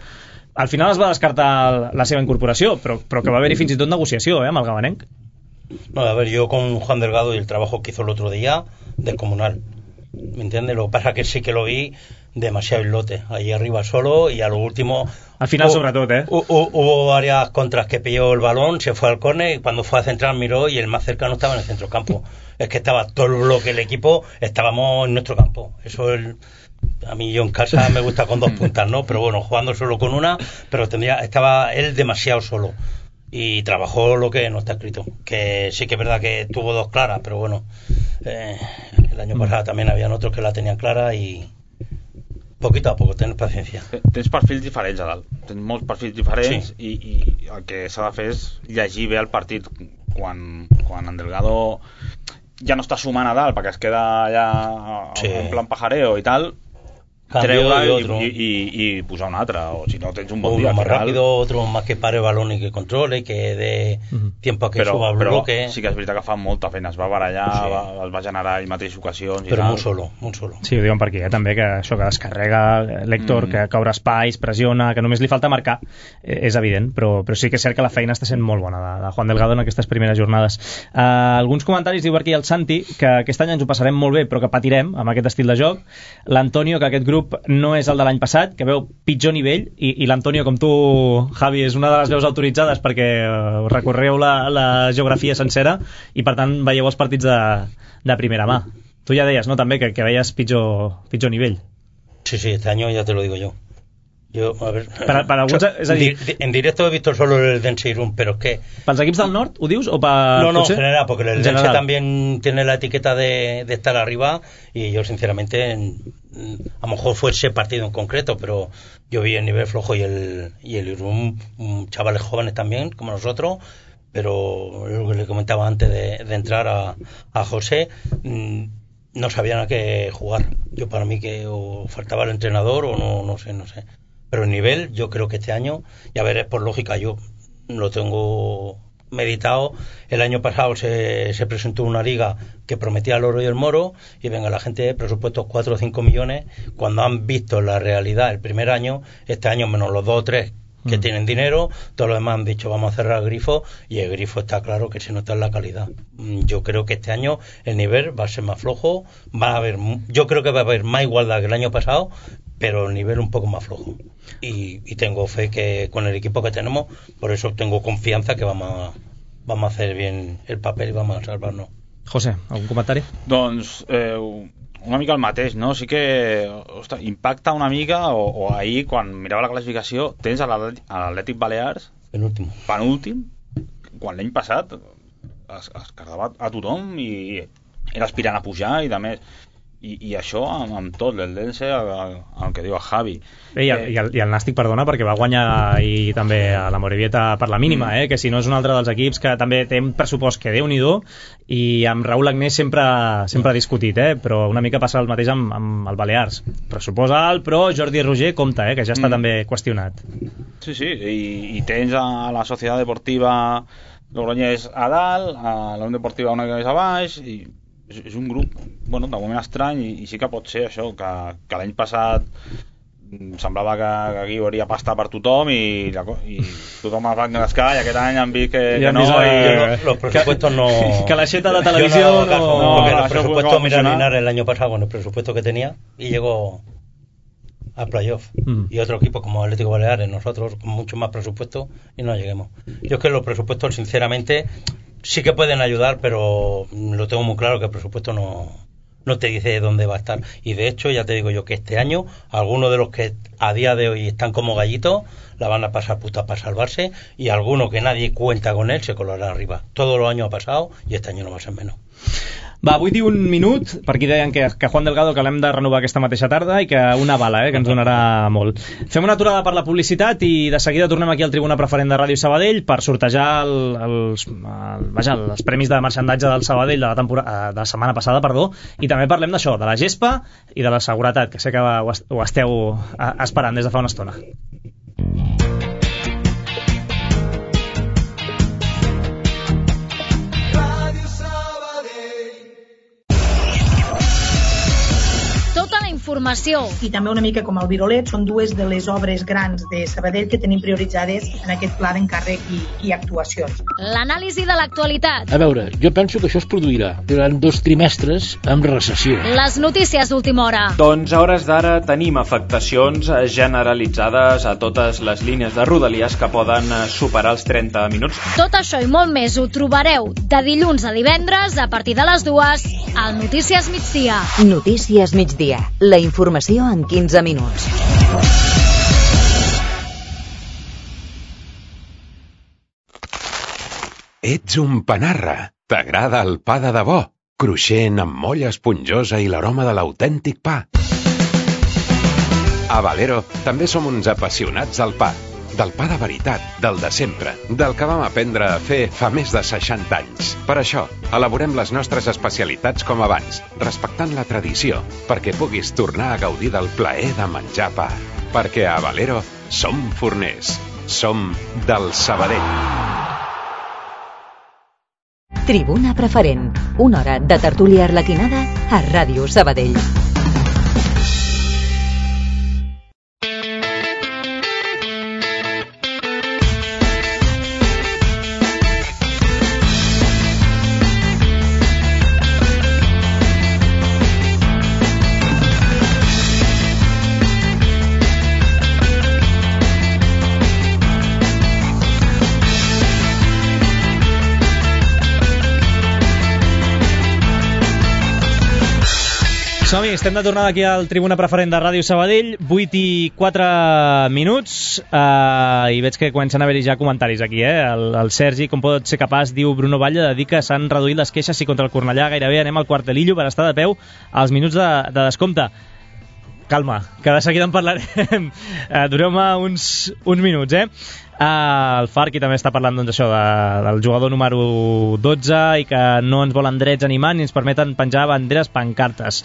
Al final es va descartar la seva incorporació, però que va haver-hi fins i tot negociació amb el gabanenc. No, a ver, yo con Juan Delgado y el trabajo que hizo el otro día, descomunal, ¿me entiendes? Lo que pasa es que sí que lo vi demasiado islote, ahí arriba solo, y a lo último al final sobretot, hubo varias contras que pilló el balón, se fue al córner y cuando fue a centrar miró y el más cercano estaba en el centrocampo. Es que estaba todo el bloque del equipo, estábamos en nuestro campo. Eso es a mí, yo en casa me gusta con 2 puntas, ¿no? Pero bueno, jugando solo con una, pero estaba él demasiado solo y trabajó lo que no está escrito, que sí que es verdad que tuvo 2 claras, pero bueno, el año pasado también habían otros que la tenían clara y poquito a poco, tens paciència. Tens perfils diferents a dalt, tens molts perfils diferents, sí. i el que s'ha de fer és llegir bé el partit quan en Delgado ja no està sumant a dalt perquè es queda allà en plan pajareo i tal, treure y posar un altre, o si no tens un bon dia más rápido, otro más que pare balón y que controle, que dé tiempo a que suba el bloque. Sí que és veritat que fa molta feina, es va barallar, es va generar ell mateix ocasions i però tal. molt solo. Sí, ho diuen per aquí, també, que això que descarrega l'Héctor, que obre espais, pressiona, que només li falta marcar, és evident, però sí que és cert que la feina està sent molt bona de Juan Delgado en aquestes primeres jornades. Alguns comentaris, diu per aquí el Santi, que aquest any ens ho passarem molt bé, però que patirem amb aquest estil de joc. L'Antonio, que aquest grup no és el de l'any passat, que veu pitjor nivell, i l'Antonio, com tu, Javi, és una de les veus autoritzades perquè recorreu la geografia sencera i per tant veieu els partits de primera mà. Tu ja deies, no, també, que veies pitjor nivell. Sí, este año ya te lo digo yo. A ver, para alguns, és a dir, en directo he visto solo el Dense Irún, pero es que ¿Pels equips del nord, ho dius? O no, en general, porque el Dense también tiene la etiqueta de estar arriba y yo sinceramente a lo mejor fue ese partido en concreto, pero yo vi el nivel flojo y el Irún, chavales jóvenes también como nosotros, pero lo que le comentaba antes de entrar a José, no sabían a qué jugar. Yo para mí que o faltaba el entrenador o no sé. Pero el nivel, yo creo que este año, ya veréis por lógica, yo lo tengo meditado. El año pasado se presentó una liga que prometía el oro y el moro, y venga la gente de presupuestos 4 o 5 millones, cuando han visto la realidad el primer año, este año menos los 2 o 3 que tienen dinero, todos los demás han dicho vamos a cerrar el grifo, y el grifo está claro que se nota en la calidad. Yo creo que este año el nivel va a ser más flojo, yo creo que va a haber más igualdad que el año pasado, pero el nivel un poco más flojo, y tengo fe que con el equipo que tenemos, por eso tengo confianza que vamos a hacer bien el papel y vamos a salvarnos. José, algun comentari? Doncs una mica el mateix, no? Sí que impacta una mica, o ahir quan mirava la classificació tens a l'Atlètic Balears penúltim, quan l'any passat es carregava a tothom i era aspirant a pujar i de més. I això amb tot, l'Eldense, el que diu el Javi. I el Nàstic, perdona, perquè va guanyar ahir també a la Morevieta per la mínima, que si no és un altre dels equips que també té un pressupost que Déu-n'hi-do, i amb Raúl Agnès sempre ha discutit, però una mica passa el mateix amb el Balears. Pressupost alt, però Jordi Roger compta, que ja està també qüestionat. Sí, i tens a la Societat Deportiva Logroñés a dalt, a la Unió Deportiva una mica més a baix, i és un grup, bueno, de moment estrany, i sí que pot ser això, que l'any passat semblava que aquí hi hauria pasta per tothom i tothom es va engrescar, i aquest any han vist que no, los presupuestos no, que la xeta de televisió porque los presupuestos, mira Linares el año pasado con el presupuesto que tenía y llegó a playoff, y otro equipo como Atlético Baleares, nosotros con mucho más presupuesto y no lleguemos. Yo es que los presupuestos sinceramente sí que pueden ayudar, pero lo tengo muy claro que el presupuesto no te dice dónde va a estar. Y de hecho, ya te digo yo que este año, algunos de los que a día de hoy están como gallitos, la van a pasar puta para salvarse, y alguno que nadie cuenta con él se colará arriba. Todos los años ha pasado y este año no va a ser menos. Va, vull dir un minut, per aquí deien que Juan Delgado que l'hem de renovar aquesta mateixa tarda i que una bala, que ens donarà molt. Fem una aturada per la publicitat i de seguida tornem aquí al Tribuna Preferent de Ràdio Sabadell per sortejar els premis de marxandatge del Sabadell de la setmana passada, i també parlem d'això, de la gespa i de la seguretat, que sé que ho esteu esperant des de fa una estona. Informació. I també una mica com el Virolet, són dues de les obres grans de Sabadell que tenim prioritzades en aquest pla d'encàrrec i actuacions. L'anàlisi de l'actualitat. A veure, jo penso que això es produirà durant 2 trimestres amb recessió. Les notícies d'última hora. Doncs a hores d'ara tenim afectacions generalitzades a totes les línies de Rodalies que poden superar els 30 minuts. Tot això i molt més ho trobareu de dilluns a divendres a partir de les 2 al Notícies Migdia. Notícies Migdia. La informació en 15 minuts. Ets un panarra. T'agrada el pa de debò? Cruixent, amb molla esponjosa i l'aroma de l'autèntic pa. A Valero també som uns apassionats del pa. Del pa de veritat, del de sempre, del que vam aprendre a fer fa més de 60 anys. Per això, elaborem les nostres especialitats com abans, respectant la tradició, perquè puguis tornar a gaudir del plaer de menjar pa. Perquè a Valero som forners, som del Sabadell. Tribuna Preferent, una hora de tertúlia arlequinada a Ràdio Sabadell. Som-hi, estem de tornada aquí al Tribuna Preferent de Ràdio Sabadell, 8:04 i veig que comencen a haver-hi ja comentaris aquí, el Sergi, com pot ser capaç, diu Bruno Batlle, de dir que s'han reduït les queixes i contra el Cornellà gairebé anem al quartelillo per estar de peu als minuts de descompte. Calma, que de seguida en parlarem. Dureu-me uns minuts, el Farqui també està parlant doncs, això del jugador número 12 i que no ens volen drets animant ni ens permeten penjar banderes pancartes,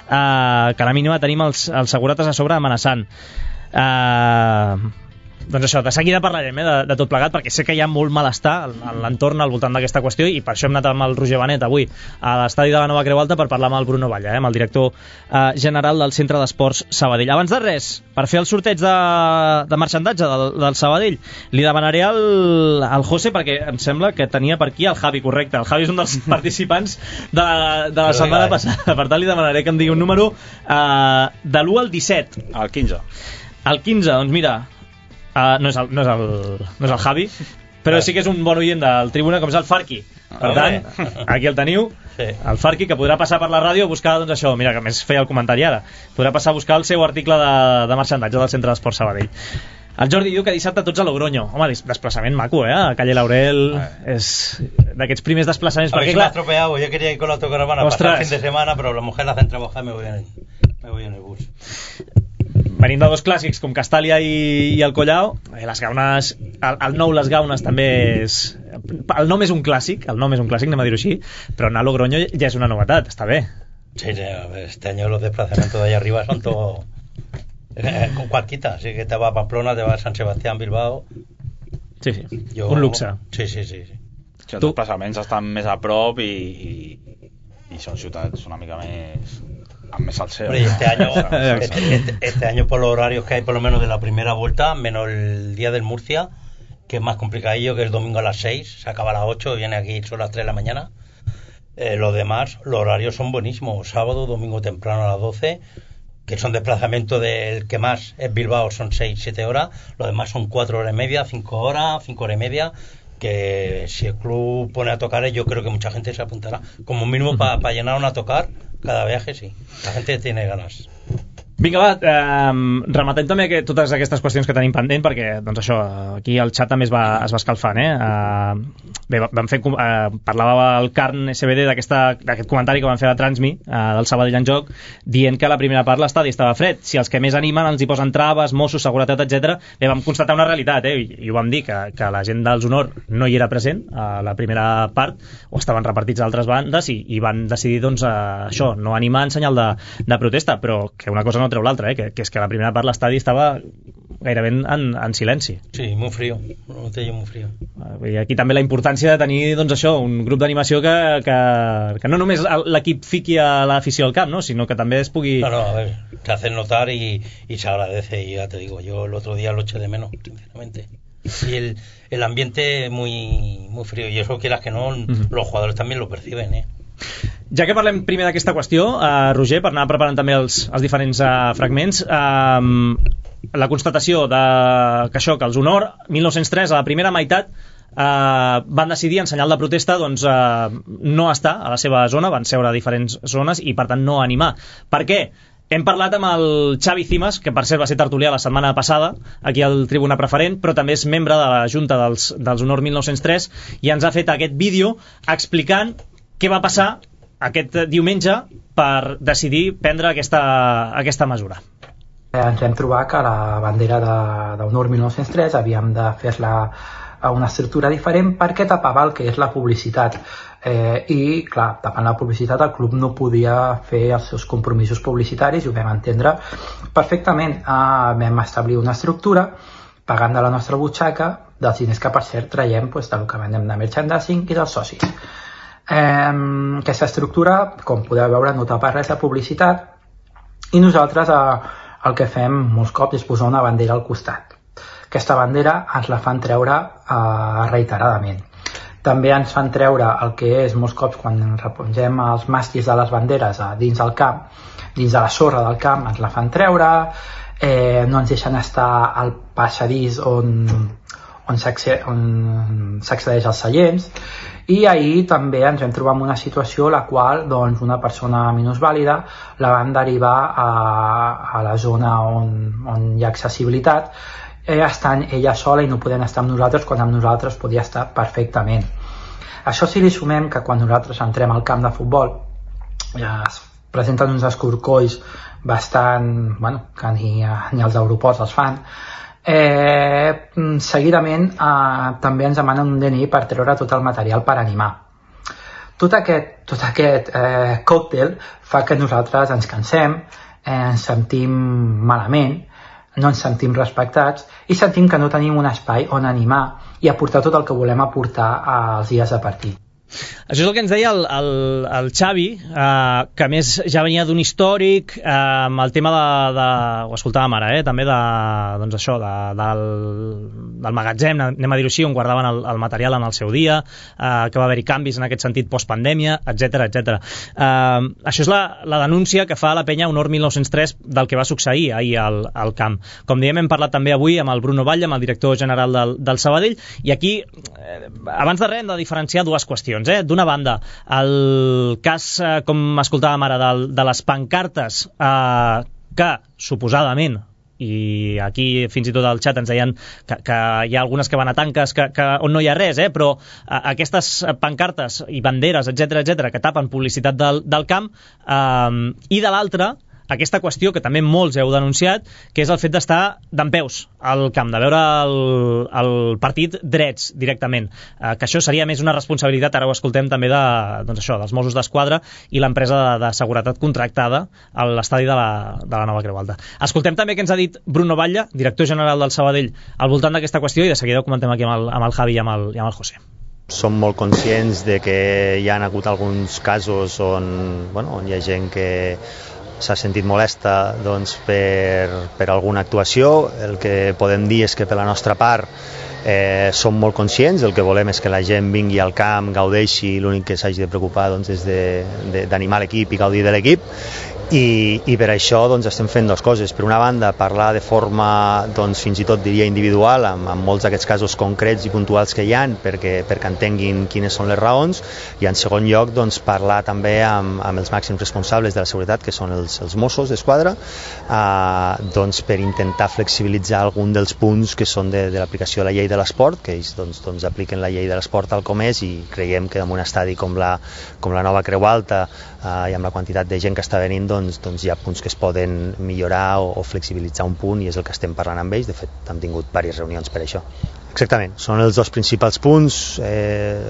que a la mínima tenim els segurates a sobre amenaçant. Doncs això, de seguida parlarem de tot plegat, perquè sé que hi ha molt malestar en l'entorn al voltant d'aquesta qüestió, i per això hem anat amb el Roger Benet avui a l'estadi de la Nova Creu Alta per parlar amb el Bruno Valla, amb el director general del Centre d'Esports Sabadell. Abans de res, per fer el sorteig de marxandatge del Sabadell, li demanaré al José, perquè em sembla que tenia per aquí el Javi, correcte. El Javi és un dels participants de la setmana passada, per tant li demanaré que em digui un número de l'1 al 17. El 15. El 15, doncs mira, no és el Javi, però sí que és un bon oient del Tribuna, com és el Farqui. Per tant, aquí el teniu, el Farqui, que podrà passar per la ràdio a buscar, doncs això, mira, que més feia el comentari ara, podrà passar a buscar el seu article de marxandatge del Centre d'Esports Sabadell. El Jordi diu que dissabte tots a Logroño. Home, desplaçament maco, a Calle Laurel. És d'aquests primers desplaçaments. A ver si me ha estropeado. Yo quería ir con la autocaravana pasar el fin de semana, pero la mujer la hacen trabajar y me voy en el bus. Venint de dos clàssics com Castàlia i el Collao, les Gaunes, el nou Les Gaunes també és... El nom és un clàssic, anem a dir-ho així, però anar a Logroño ja és una novetat, està bé. Sí, este año los desplazamientos de allá arriba son todo con cualquiera, así que te va a Pamplona, te va a San Sebastián, Bilbao. Sí, un luxe. Sí. Els desplaçaments estan més a prop i són ciutats una mica més... amb més salseo. Este año por los horarios que hay, por lo menos de la primera vuelta, menos el día del Murcia, que es más complicadillo, que es el domingo a las 6, se acaba a las 8, viene aquí son las 3 de la mañana. Los demás, los horarios son buenísimos, sábado, domingo temprano a las 12, que son desplazamientos del que más es Bilbao, son 6-7 horas, los demás son 4 horas y media, 5 horas y media, que si el club pone a tocar, yo creo que mucha gente se apuntará, como mínimo para llenar una a tocar cada viaje, sí, la gente tiene ganas. Vinga, va, rematem també totes aquestes qüestions que tenim pendent, perquè doncs això, aquí el xat també es va escalfant, bé, vam fer, parlava el Carn SBD d'aquest comentari que van fer a Transmi del Sabadell en joc, dient que a la primera part l'estadi estava fred, si els que més animen els hi posen traves, Mossos, seguretat, etc. Bé, vam constatar una realitat, i ho vam dir, que la gent dels Honor no hi era present a la primera part, o estaven repartits a altres bandes, i van decidir, doncs, això, no animar en senyal de protesta, però que una cosa no treu l'altra, que és que a la primera part l'estadi estava gairebé en silenci. Sí, muy frío, muy frío. I aquí també la importància de tenir, doncs això, un grup d'animació que no només l'equip fiqui a l'afició al camp, ¿no? Sinó que també es pugui... No, a ver, te hacen notar y se agradece, y ya te digo, yo el otro día lo eché de menos, sinceramente. Y el ambiente muy frío, y eso quieras que no, los jugadores también lo perciben, Ja que parlem primer d'aquesta qüestió, Roger, per anar preparant també els diferents fragments, la constatació que els Honor 1903 a la primera meitat van decidir en senyal de protesta doncs, no estar a la seva zona, van seure a diferents zones i per tant no animar. Per què? Hem parlat amb el Xavi Cimas, que per cert va ser tertulià la setmana passada aquí al Tribuna Preferent, però també és membre de la Junta dels Honor 1903, i ens ha fet aquest vídeo explicant què va passar aquest diumenge per decidir prendre aquesta mesura. Ens vam trobar que la bandera d'Honor 1903 havíem de fer-la a una estructura diferent perquè tapava el que és la publicitat. I, clar, tapant la publicitat el club no podia fer els seus compromisos publicitaris, i ho vam entendre perfectament. Vam establir una estructura pagant de la nostra butxaca dels diners que, per cert, traiem del que vendem de merchandising i dels socis. Aquesta estructura, com podeu veure, no tapa res de publicitat, i nosaltres el que fem molts cops és posar una bandera al costat. Aquesta bandera ens la fan treure reiteradament. També ens fan treure el que és molts cops quan repongem els màstics de les banderes dins del camp, dins de la sorra del camp, ens la fan treure, no ens deixen estar al passadís on s'accedeix als seients. I ahir també ens vam trobar en una situació en la qual doncs, una persona minusvàlida la van derivar a la zona on hi ha accessibilitat, estant ella sola i no podent estar amb nosaltres quan amb nosaltres podia estar perfectament. Això si li sumem que quan nosaltres entrem al camp de futbol es presenten uns escorcolls bastant, que ni als aeroports els fan, seguidament també ens demanen un DNI per treure tot el material per animar. Tot aquest còctel fa que nosaltres ens cansem, ens sentim malament, no ens sentim respectats i sentim que no tenim un espai on animar i aportar tot el que volem aportar als dies de partit. Això és el que ens deia el Xavi, que a més ja venia d'un històric amb el tema ho escoltàvem ara, també doncs això, del magatzem, anem a dir-ho així, on guardaven el material en el seu dia, que va haver-hi canvis en aquest sentit postpandèmia, etc etc. Això és la denúncia que fa la penya Honor 1903 del que va succeir ahir al camp. Com diem, hem parlat també avui amb el Bruno Batlle, amb el director general del Sabadell, i aquí, abans de res, hem de diferenciar dues qüestions. D'una banda, el cas, com escoltàvem ara, de les pancartes que, suposadament, i aquí fins i tot al xat ens deien que hi ha algunes que van a tanques on no hi ha res, però aquestes pancartes i banderes, etc que tapen publicitat del camp, i de l'altra, aquesta qüestió que també molts heu denunciat, que és el fet d'estar dempeus al camp, de veure el partit drets directament, que això seria més una responsabilitat, ara ho escoltem també dels Mossos d'Esquadra i l'empresa de seguretat contractada a l'estadi de la Nova Creu Alta. Escoltem també què ens ha dit Bruno Batlle, director general del Sabadell, al voltant d'aquesta qüestió, i de seguida ho comentem aquí amb el Javi i amb el José. Som molt conscients de que hi ha hagut alguns casos on hi ha gent que s'ha sentit molesta per alguna actuació. El que podem dir és que per la nostra part som molt conscients, el que volem és que la gent vingui al camp, gaudeixi, l'únic que s'hagi de preocupar és d'animar l'equip i gaudir de l'equip, i per això estem fent dues coses. Per una banda, parlar de forma fins i tot diria individual amb molts d'aquests casos concrets i puntuals que hi ha perquè entenguin quines són les raons, i en segon lloc parlar també amb els màxims responsables de la seguretat, que són els Mossos d'Esquadra, per intentar flexibilitzar algun dels punts que són de l'aplicació de la llei de l'esport, que ells apliquen la llei de l'esport tal com és, i creiem que en un estadi com la Nova Creu Alta i amb la quantitat de gent que està venint, hi ha punts que es poden millorar o flexibilitzar un punt, i és el que estem parlant amb ells. De fet, hem tingut diverses reunions per això. Exactament, són els dos principals punts.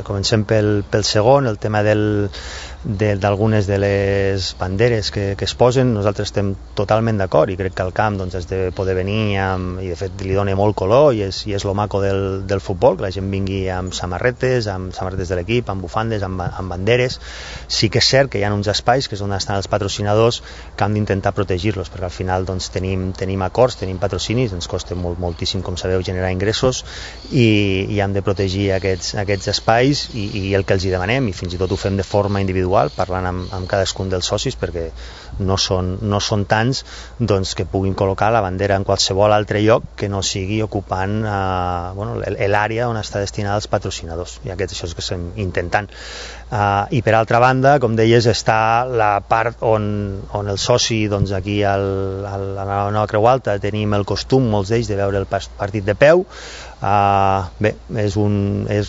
Comencem pel segon, el tema d'algunes de les banderes que es posen. Nosaltres estem totalment d'acord, i crec que al camp has de poder venir i de fet li dona molt color, i és lo maco del futbol, que la gent vingui amb samarretes de l'equip, amb bufandes, amb banderes. Sí que és cert que hi ha uns espais, que és on estan els patrocinadors, que hem d'intentar protegir-los, perquè al final tenim acords, tenim patrocinis, ens costa moltíssim, com sabeu, generar ingressos, i hem de protegir aquests espais, i el que els hi demanem, i fins i tot ho fem de forma individual, parlant amb cadascun dels socis, perquè no són tants que puguin col·locar la bandera en qualsevol altre lloc que no sigui ocupant l'àrea on està destinada als patrocinadors, i això és el que estem intentant. I per altra banda, com deies, està la part on el soci, aquí a la Nova Creu Alta, tenim el costum, molts d'ells, de veure el partit de peu. Bé, és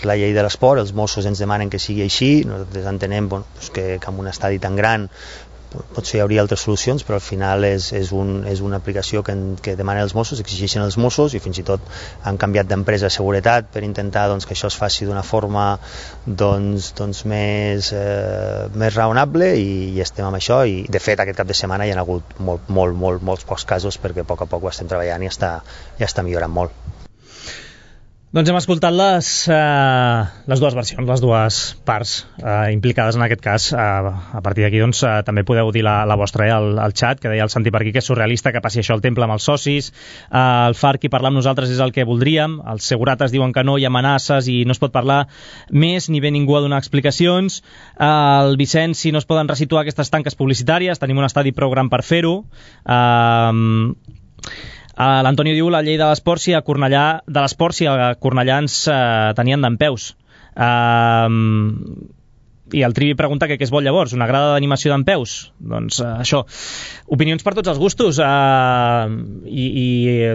la llei de l'esport, els Mossos ens demanen que sigui així, nosaltres entenem que en un estadi tan gran potser hi hauria altres solucions, però al final és una aplicació que demanen els Mossos, exigeixen els Mossos, i fins i tot han canviat d'empresa de seguretat per intentar que això es faci d'una forma més raonable, i estem amb això, i de fet aquest cap de setmana hi ha hagut molts pocs casos, perquè a poc ho estem treballant i ja està millorant molt. Doncs hem escoltat les dues versions, les dues parts implicades en aquest cas. A partir d'aquí també podeu dir la vostra al xat, que deia el Santi per aquí que és surrealista que passi això al temple amb els socis. El FAR, qui parla amb nosaltres, és el que voldríem. Els segurates diuen que no, hi ha amenaces i no es pot parlar més, ni ve ningú a donar explicacions. El Vicenç, si no es poden resituar aquestes tanques publicitàries, tenim un estadi prou gran per fer-ho. L'Antonio diu la llei de l'esport si a Cornellà ens tenien dempeus. I el Trivi pregunta què es vol llavors, una grada d'animació dempeus? Doncs això, opinions per tots els gustos, i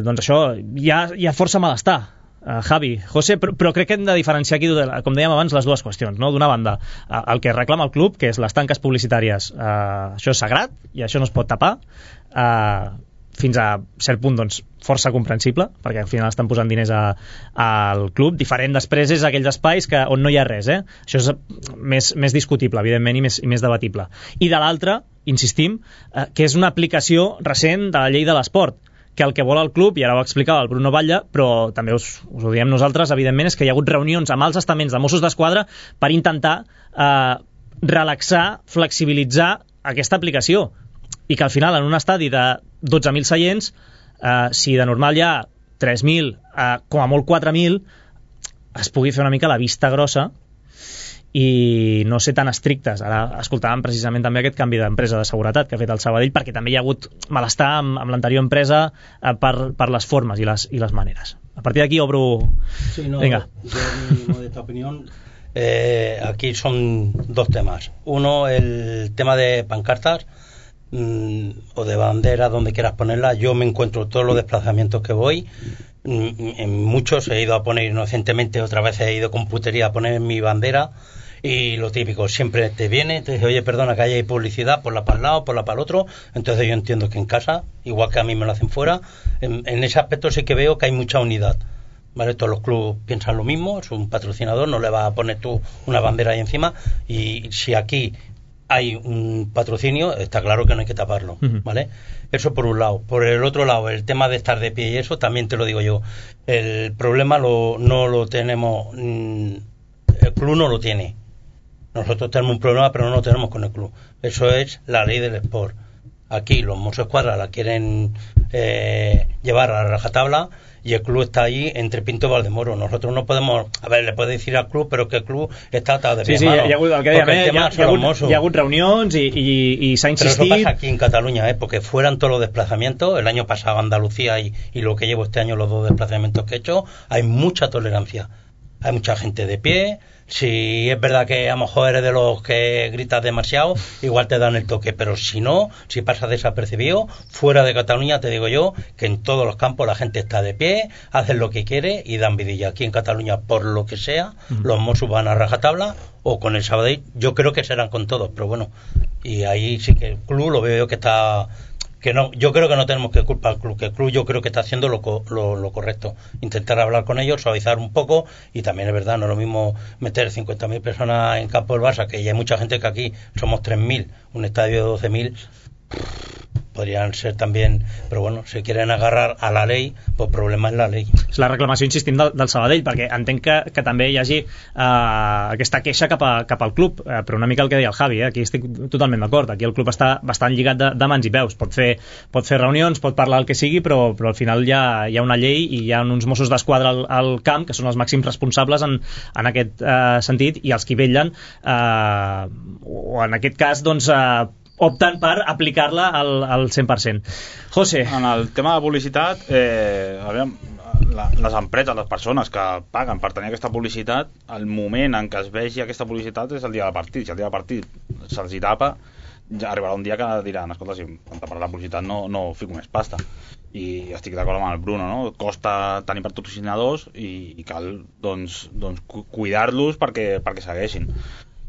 doncs això, hi ha força malestar. Javi, José, però crec que hem de diferenciar aquí, com dèiem abans, les dues qüestions, no? D'una banda, el que reclama el club, que és les tanques publicitàries, això és sagrat i això no es pot tapar, fins a cert punt força comprensible, perquè al final estan posant diners al club. Diferent després és aquells espais on no hi ha res, això és més discutible, evidentment, i més debatible. I de l'altra, insistim, que és una aplicació recent de la llei de l'esport, que el que vol el club, i ara ho explicava el Bruno Batlle, però també us ho diem nosaltres, evidentment, és que hi ha hagut reunions amb els estaments de Mossos d'Esquadra per intentar relaxar, flexibilitzar aquesta aplicació, i que al final en un estadi de 12.000 seients, si de normal hi ha 3.000, com a molt 4.000, es pugui fer una mica la vista grossa i no ser tan estrictes. Ara escoltàvem precisament també aquest canvi d'empresa de seguretat que ha fet el Sabadell, perquè també hi ha hagut malestar amb l'anterior empresa per les formes i les maneres. A partir d'aquí obro... Sí, no, venga. Yo, mi modesta opinión, aquí son dos temas. Uno, el tema de pancartas o de banderas, donde quieras ponerlas. Yo me encuentro todos los desplazamientos que voy, en muchos he ido a poner inocentemente, otra vez he ido con putería a poner mi bandera. Y lo típico, siempre te viene, te dice, oye, perdona, que hay publicidad, ponla para el lado, ponla para el otro. Entonces yo entiendo que en casa, igual que a mí me lo hacen fuera, en ese aspecto sí que veo que hay mucha unidad. ¿Vale? Todos los clubes piensan lo mismo, es un patrocinador, no le vas a poner tú una bandera ahí encima. Y si aquí hay un patrocinio, está claro que no hay que taparlo, ¿vale? Eso por un lado. Por el otro lado, el tema de estar de pie y eso, también te lo digo yo. El problema no lo tenemos, el club no lo tiene. Nosotros tenemos un problema, pero no lo tenemos con el club. Eso es la ley del sport. Aquí los Mossos Escuadra la quieren llevar a la rajatabla y el club está ahí entre Pinto y Valdemoro. Nosotros no podemos... A ver, le puede decir al club, però que el club està atado de pie. Sí, hi ha hagut, el que dèiem, hi ha hagut reunions i s'ha insistit... Pero eso pasa aquí en Cataluña, porque fueran todos los desplazamientos. El año pasado Andalucía y lo que llevo este año, los 2 desplazamientos que he hecho, hay mucha tolerancia. Hay mucha gente de pie. Si es verdad que a lo mejor eres de los que gritas demasiado, igual te dan el toque, pero si no, si pasas desapercibido, fuera de Cataluña te digo yo que en todos los campos la gente está de pie, hacen lo que quiere y dan vidilla. Aquí en Cataluña, por lo que sea, los Mossos van a rajatabla, o con el Sabadell, yo creo que serán con todos, pero bueno, y ahí sí que el club lo veo yo que está... que no, yo creo que no tenemos que culpar al club, que el club yo creo que está haciendo lo correcto, intentar hablar con ellos, suavizar un poco, y también es verdad, no es lo mismo meter 50.000 personas en campo del Barça, que ya hay mucha gente, que aquí somos 3.000, un estadio de 12.000, podrían ser también, però bueno, si quieren agarrar a la ley, pues problema és la ley. És la reclamació, insistim, del Sabadell, perquè entenc que també hi hagi aquesta queixa cap al club, però una mica el que deia el Javi, aquí estic totalment d'acord, aquí el club està bastant lligat de mans i peus, pot fer reunions, pot parlar el que sigui, però al final hi ha una llei i hi ha uns Mossos d'Esquadra al camp, que són els màxims responsables en aquest sentit, i els que vetllen, o en aquest cas, doncs, opten per aplicar-la al 100%. José. En el tema de publicitat, les empreses, les persones que paguen per tenir aquesta publicitat, el moment en què es vegi aquesta publicitat és el dia del partit. Si el dia del partit se'ls tapa, ja arribarà un dia que diran, escolta, si quan taparà la publicitat no fico més pasta. I estic d'acord amb el Bruno, no? Costa tenir patrocinadors i cal doncs cuidar-los perquè segueixin.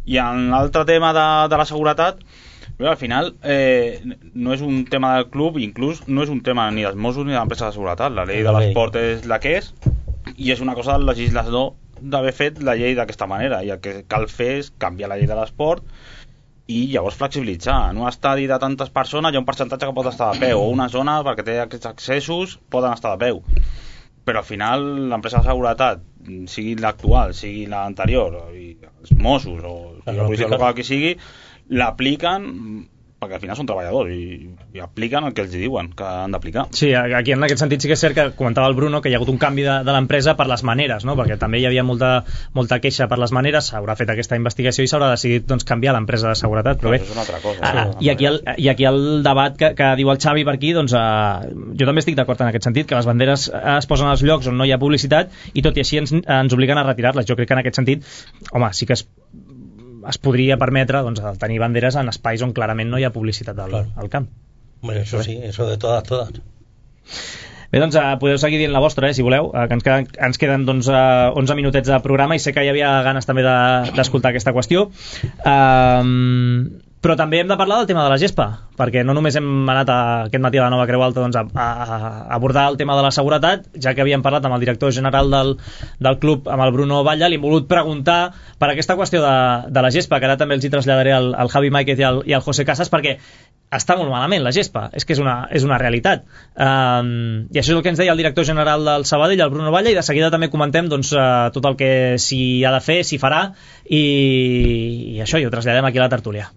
I en l'altre tema de la seguretat, però al final no és un tema del club, inclús no és un tema ni dels Mossos ni de l'empresa de seguretat. La llei de l'esport és la que és, i és una cosa del legislador d'haver fet la llei d'aquesta manera, i el que cal fer és canviar la llei de l'esport i llavors flexibilitzar. En un estadi de tantes persones hi ha un percentatge que pot estar de peu, o una zona perquè té aquests accessos poden estar de peu, però al final l'empresa de seguretat, sigui l'actual, sigui l'anterior, i els Mossos o la policia local que sigui, l'apliquen perquè al final són treballadors i apliquen el que els diuen que han d'aplicar. Sí, aquí en aquest sentit sí que és cert que comentava el Bruno que hi ha hagut un canvi de l'empresa per les maneres, no? Perquè també hi havia molta queixa per les maneres, s'haurà fet aquesta investigació i s'haurà decidit canviar l'empresa de seguretat, però bé, és una altra cosa, i aquí el debat que diu el Xavi per aquí, doncs jo també estic d'acord en aquest sentit, que les banderes es posen als llocs on no hi ha publicitat i tot i així ens obliguen a retirar-les. Jo crec que en aquest sentit, home, sí que es podria permetre tenir banderes en espais on clarament no hi ha publicitat al camp. Bueno, eso sí, eso de todas. Bé, doncs podeu seguir dient la vostra, si voleu, que ens queden 11 minutets de programa i sé que hi havia ganes també d'escoltar aquesta qüestió. Però també hem de parlar del tema de la gespa, perquè no només hem anat aquest matí a la Nova Creu Alta doncs, a abordar el tema de la seguretat, ja que havíem parlat amb el director general del club, amb el Bruno Batlle, li hem volgut preguntar per aquesta qüestió de la gespa, que ara també els hi traslladaré al Javi Máiquez i al José Casas, perquè està molt malament la gespa, és que és una realitat. I això és el que ens deia el director general del Sabadell, el Bruno Batlle, i de seguida també comentem doncs, tot el que s'hi ha de fer, s'hi farà, i això, i ho traslladem aquí a la tertúlia.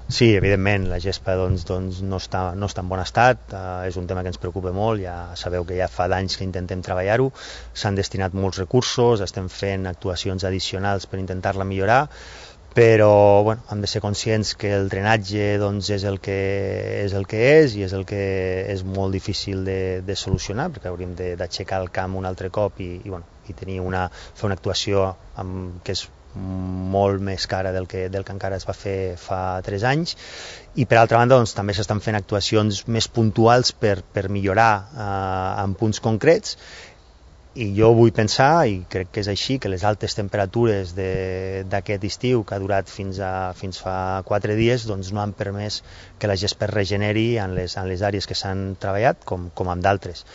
Sí, evidentment, la gespa doncs, no està en bon estat, és un tema que ens preocupa molt, ja sabeu que ja fa d'anys que intentem treballar-ho, s'han destinat molts recursos, estem fent actuacions addicionals per intentar-la millorar, però bueno, hem de ser conscients que el drenatge doncs, és el que és i és el que és molt difícil de solucionar, perquè hauríem d'aixecar el camp un altre cop i fer una actuació que és molt més cara del que encara es va fer fa 3 anys, i per altra banda doncs, també s'estan fent actuacions més puntuals per millorar en punts concrets, i jo vull pensar, i crec que és així, que les altes temperatures d'aquest estiu, que ha durat fins fa 4 dies, doncs no han permès que la gespa es regeneri en les àrees que s'han treballat, com en d'altres.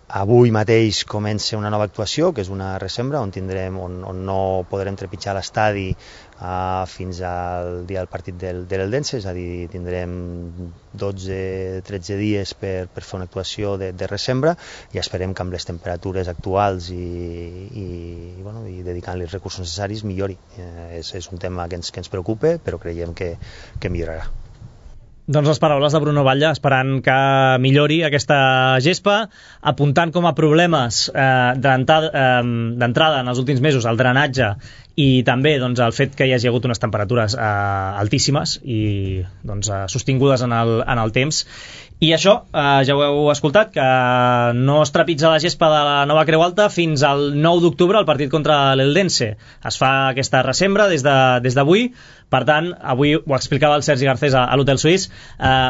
Avui mateix comença una nova actuació, que és una resembra, on no podrem trepitjar l'estadi fins al dia del partit de l'Eldense, és a dir, tindrem 12-13 dies per fer una actuació de resembra, i esperem que amb les temperatures actuals i dedicant-li els recursos necessaris millori. És un tema que ens preocupa, però creiem que millorarà. Doncs les paraules de Bruno Batlle, esperant que millori aquesta gespa, apuntant com a problemes d'entrada en els últims mesos el drenatge i també doncs, el fet que hi hagi hagut unes temperatures altíssimes i doncs, sostingudes en el temps. I això, ja ho heu escoltat, que no es trepitja la gespa de la Nova Creu Alta fins al 9 d'octubre, el partit contra l'Eldense. Es fa aquesta resembra des d'avui. Per tant, avui ho explicava el Sergi Garcés a l'Hotel Suís,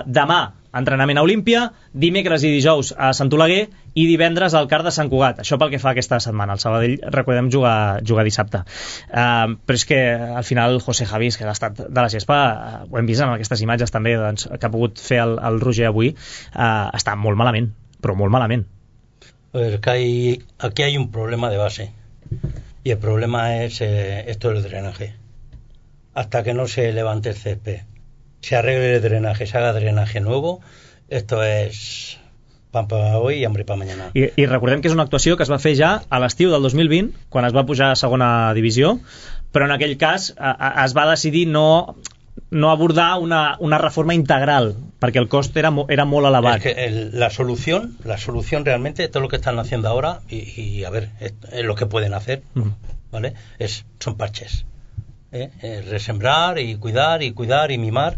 demà entrenament a Olímpia, dimecres i dijous a Sant Oleguer i divendres al CAR de Sant Cugat. Això pel que fa aquesta setmana. El Sabadell, recordem, jugar dissabte. Però és que al final José Javi, que l'estat de la gespa, ho hem vist en aquestes imatges també doncs, que ha pogut fer el Roger avui, està molt malament, però molt malament. A ver, aquí hay un problema de base y el problema es esto del drenaje. Hasta que no se levante el césped, se arregle el drenaje, se haga drenaje nuevo, esto es pan para hoy y hambre para mañana. I recordem que és una actuació que es va fer ja a l'estiu del 2020, quan es va pujar a segona divisió, però en aquell cas es va decidir no abordar una reforma integral, perquè el cost era molt elevat. Es que la solución realmente, todo lo que están haciendo ahora, y a ver, es lo que pueden hacer, ¿vale? Son parches. Resembrar y cuidar y mimar,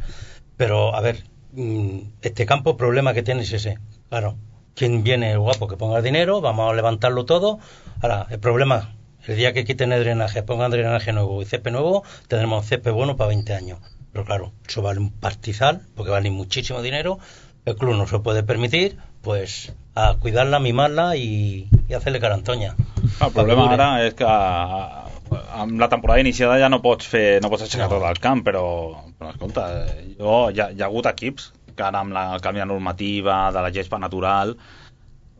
pero a ver, este campo, el problema que tiene es ese. Claro, ¿quién viene el guapo que ponga el dinero? Vamos a levantarlo todo. Ahora, el problema, el día que quiten el drenaje, pongan drenaje nuevo y césped nuevo, tendremos césped bueno para 20 años. Pero claro, eso vale un pastizal, porque vale muchísimo dinero. El club no se lo puede permitir, pues a cuidarla, mimarla y hacerle carantoña. El problema ara és que amb la temporada iniciada ja no pots aixecar tot el camp, però escolta, hi ha hagut equips que ara amb el canvi de normativa de la gespa natural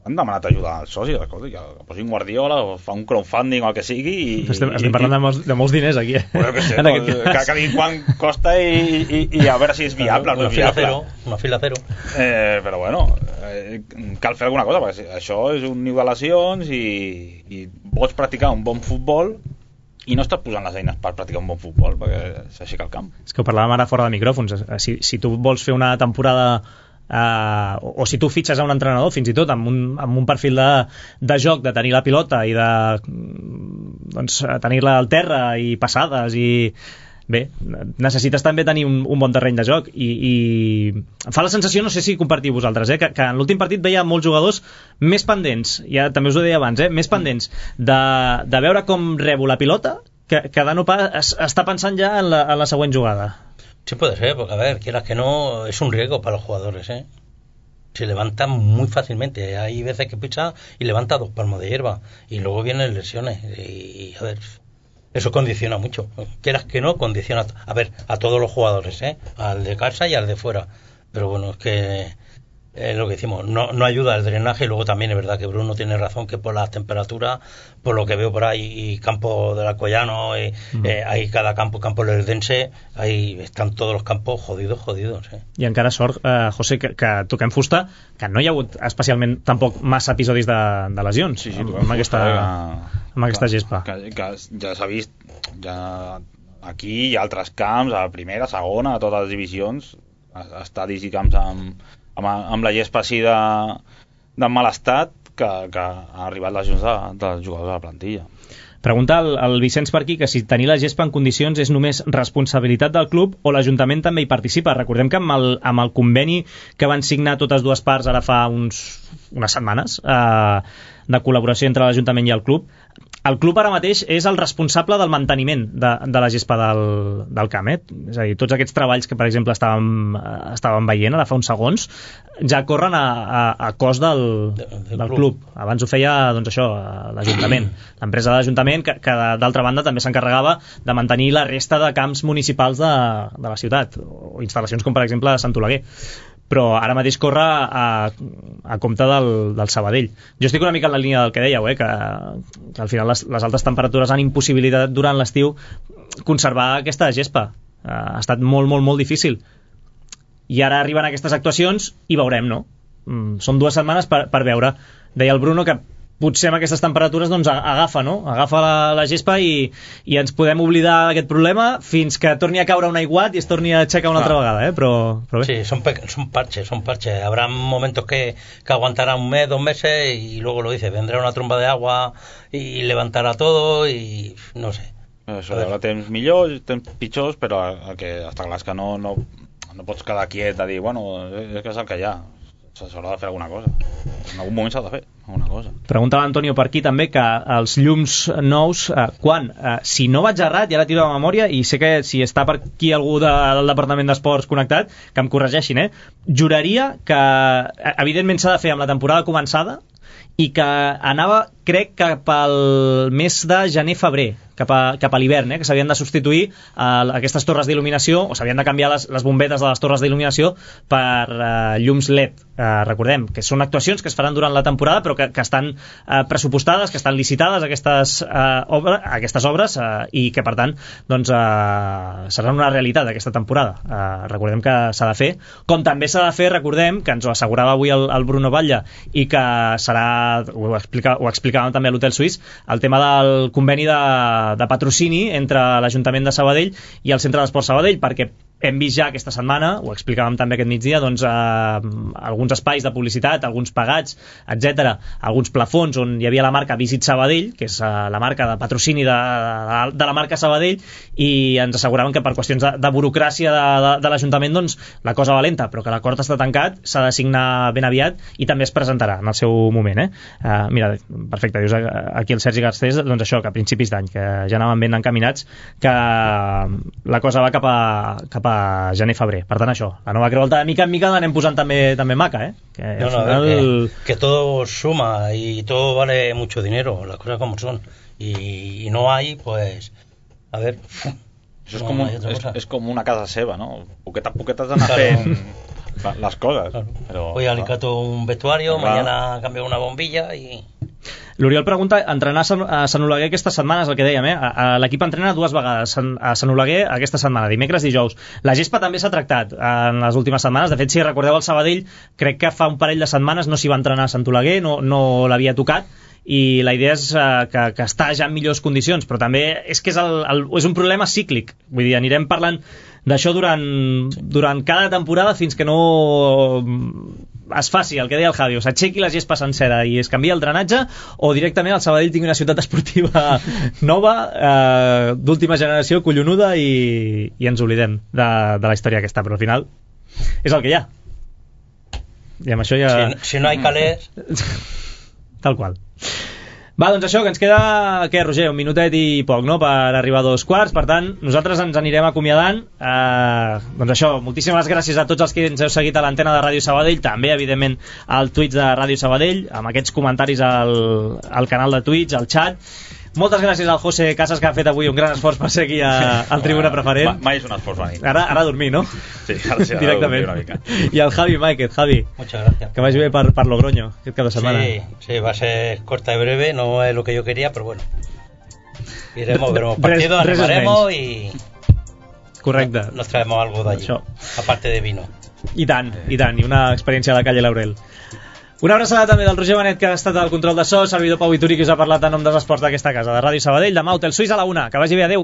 han demanat ajuda als socis, escolta, que posin Guardiola o fa un crowdfunding o el que sigui estem parlant de molts diners aquí, bueno, que sé, que diguin quant costa i a veure si és viable o no és viable. Una fila cero. Però bueno, cal fer alguna cosa, perquè això és un niu de lesions i pots practicar un bon futbol i no estàs posant les eines per practicar un bon futbol perquè s'aixeca el camp. És que ho parlàvem ara fora de micròfons. Si tu vols fer una temporada o si tu fitxes a un entrenador fins i tot amb un perfil de joc, de tenir la pilota i de doncs, tenir-la al terra i passades i bé, necessites també tenir un bon terreny de joc i em fa la sensació, no sé si compartiu vosaltres, que en l'últim partit veia molts jugadors més pendents, ja també us ho deia abans, més pendents de veure com rebo la pilota que de no pas està pensant ja en la següent jugada. Sí puede ser, porque a ver, quieras que no, es un riesgo para los jugadores, se levantan muy fácilmente, hay veces que picha y levanta 2 palmos de hierba y luego vienen lesiones y a ver, eso condiciona mucho. Quieras que no, condiciona a todos los jugadores, al de casa y al de fuera. Pero bueno, es que lo que decimos, no ayuda el drenaje. Y luego también es verdad que Bruno tiene razón, que por las temperaturas, por lo que veo por ahí, y campo del Alcoyano, hay cada campo l'Eldense, ahí están tots els campos jodidos. I encara sort, José, que toquem fusta, que no hi ha hagut especialment tampoc massa episodis de lesions amb aquesta gespa. Que ja s'ha vist, ja aquí i altres camps, a primera, segona, a totes les divisions, estadis i camps amb la gespa així de mal estat, que ha arribat les lesions dels jugadors de la plantilla. Pregunta el Vicenç per aquí que si tenir la gespa en condicions és només responsabilitat del club o l'Ajuntament també hi participa. Recordem que amb el conveni que van signar totes dues parts ara fa unes setmanes de col·laboració entre l'Ajuntament i el club ara mateix és el responsable del manteniment de la gespa del camp, és a dir, tots aquests treballs que per exemple estàvem veient ara fa uns segons ja corren a cost del club. Abans ho feia doncs això, l'Ajuntament, l'empresa de l'Ajuntament que d'altra banda també s'encarregava de mantenir la resta de camps municipals de la ciutat, o instal·lacions com per exemple Sant Oleguer, però ara mateix corre a compte del Sabadell. Jo estic una mica en la línia del que dèieu, que al final les altes temperatures han impossibilitat durant l'estiu conservar aquesta gespa. Ha estat molt, molt, molt difícil. I ara arriben aquestes actuacions i veurem, no? Són 2 setmanes per veure. Deia el Bruno que potser amb aquestes temperatures doncs agafa la gespa i ens podem oblidar d'aquest problema fins que torni a caure un aiguat i es torni a aixecar una altra vegada, però bé. Sí, son parches. Habrá momentos que aguantarán un mes, 2 meses y luego lo dice, vendrá una tromba de agua y levantará todo y no sé. Això hi haurà temps millors, temps pitjors, però està clar que no pots quedar quiet a dir, bueno, és que és el que hi ha. S'haurà de fer alguna cosa. En algun moment s'ha de fer alguna cosa. Pregunta l'Antonio per aquí també que els llums nous, quan? Si no vaig errat, ja la tiro de memòria i sé que si està per aquí algú del Departament d'Esports connectat, que em corregeixin, juraria que evidentment s'ha de fer amb la temporada començada i que anava, crec, cap al mes de gener-febrer, cap a l'hivern, que s'havien de substituir aquestes torres d'il·luminació, o s'havien de canviar les bombetes de les torres d'il·luminació per llums LED. Recordem que són actuacions que es faran durant la temporada però que estan pressupostades, que estan licitades aquestes obres i que per tant doncs, seran una realitat aquesta temporada. Recordem que s'ha de fer, com també s'ha de fer, recordem, que ens ho assegurava avui el Bruno Batlle i que serà, ho explicàvem també a l'Hotel Suís, el tema del conveni de patrocini entre l'Ajuntament de Sabadell i el Centre d'Esport Sabadell, perquè hem vist ja aquesta setmana, ho explicàvem també aquest migdia, doncs, alguns espais de publicitat, alguns pagats, etc., alguns plafons on hi havia la marca Visit Sabadell, que és la marca de patrocini de la marca Sabadell, i ens asseguraven que per qüestions de burocràcia de l'Ajuntament doncs, la cosa va lenta, però que l'acord està tancat, s'ha de signar ben aviat i també es presentarà en el seu moment. Mira, perfecte, dius aquí el Sergi Garcés, doncs això, que a principis d'any, que ja anaven ben encaminats, que la cosa va cap a gener-febrer. Per tant, això, la nova Creu Alta de mica en mica l'anem posant també maca, que al final... que todo suma y todo vale mucho dinero, las cosas como son, y no hay, pues a ver, això és com una casa seva, no? Poqueta a poqueta has d'anar fent les coses. Però, hoy alicato un vestuario, mañana cambio una bombilla y... L'Oriol pregunta, entrenar a Sant Oleguer aquestes setmanes, el que dèiem, l'equip entrena 2 vegades a Sant Oleguer aquesta setmana, dimecres i dijous. La gespa també s'ha tractat en les últimes setmanes. De fet, si recordeu el Sabadell, crec que fa un parell de setmanes no s'hi va entrenar a Sant Oleguer, no l'havia tocat, i la idea és que està ja en millors condicions, però també és que és un problema cíclic, vull dir, anirem parlant d'això durant cada temporada fins que no es faci el que deia el Javi, o s'aixequi la gespa sencera i es canvia el drenatge, o directament el Sabadell tingui una ciutat esportiva nova, d'última generació, collonuda, i ens oblidem de la història aquesta, però al final és el que hi ha, i amb això ja... Si no hi calés... Tal qual. Va, doncs això, que ens queda, què, Roger? Un minutet i poc, no?, per arribar a 2:15. Per tant, nosaltres ens anirem acomiadant. Doncs això, moltíssimes gràcies a tots els que ens heu seguit a l'antena de Ràdio Sabadell, també, evidentment, al Twitch de Ràdio Sabadell, amb aquests comentaris al canal de Twitch, al xat. Moltes gràcies al José Casas, que ha fet avui un gran esforç per ser aquí al Tribuna Preferent. Mai és un esforç venir. Ara a dormir, no? Sí, ara sí, directament. Una mica. I el Javi Máquez, Javi. Muchas gracias. Que vagi bé per Logroño aquest cap de setmana. Sí, va a ser corta y breve, no es lo que yo quería, pero bueno. Iremos, veremos partido, animaremos y... Correcte. Nos traemos algo de allí, aparte de vino. I tant, i una experiència a la calle Laurel. Una abraçada també del Roger Benet, que ha estat al control de so, servidor Pau Vituri, que us ha parlat en nom dels esports d'aquesta casa, de Ràdio Sabadell. Demà Hotel Suís a la 1. Que vagi bé, adeu.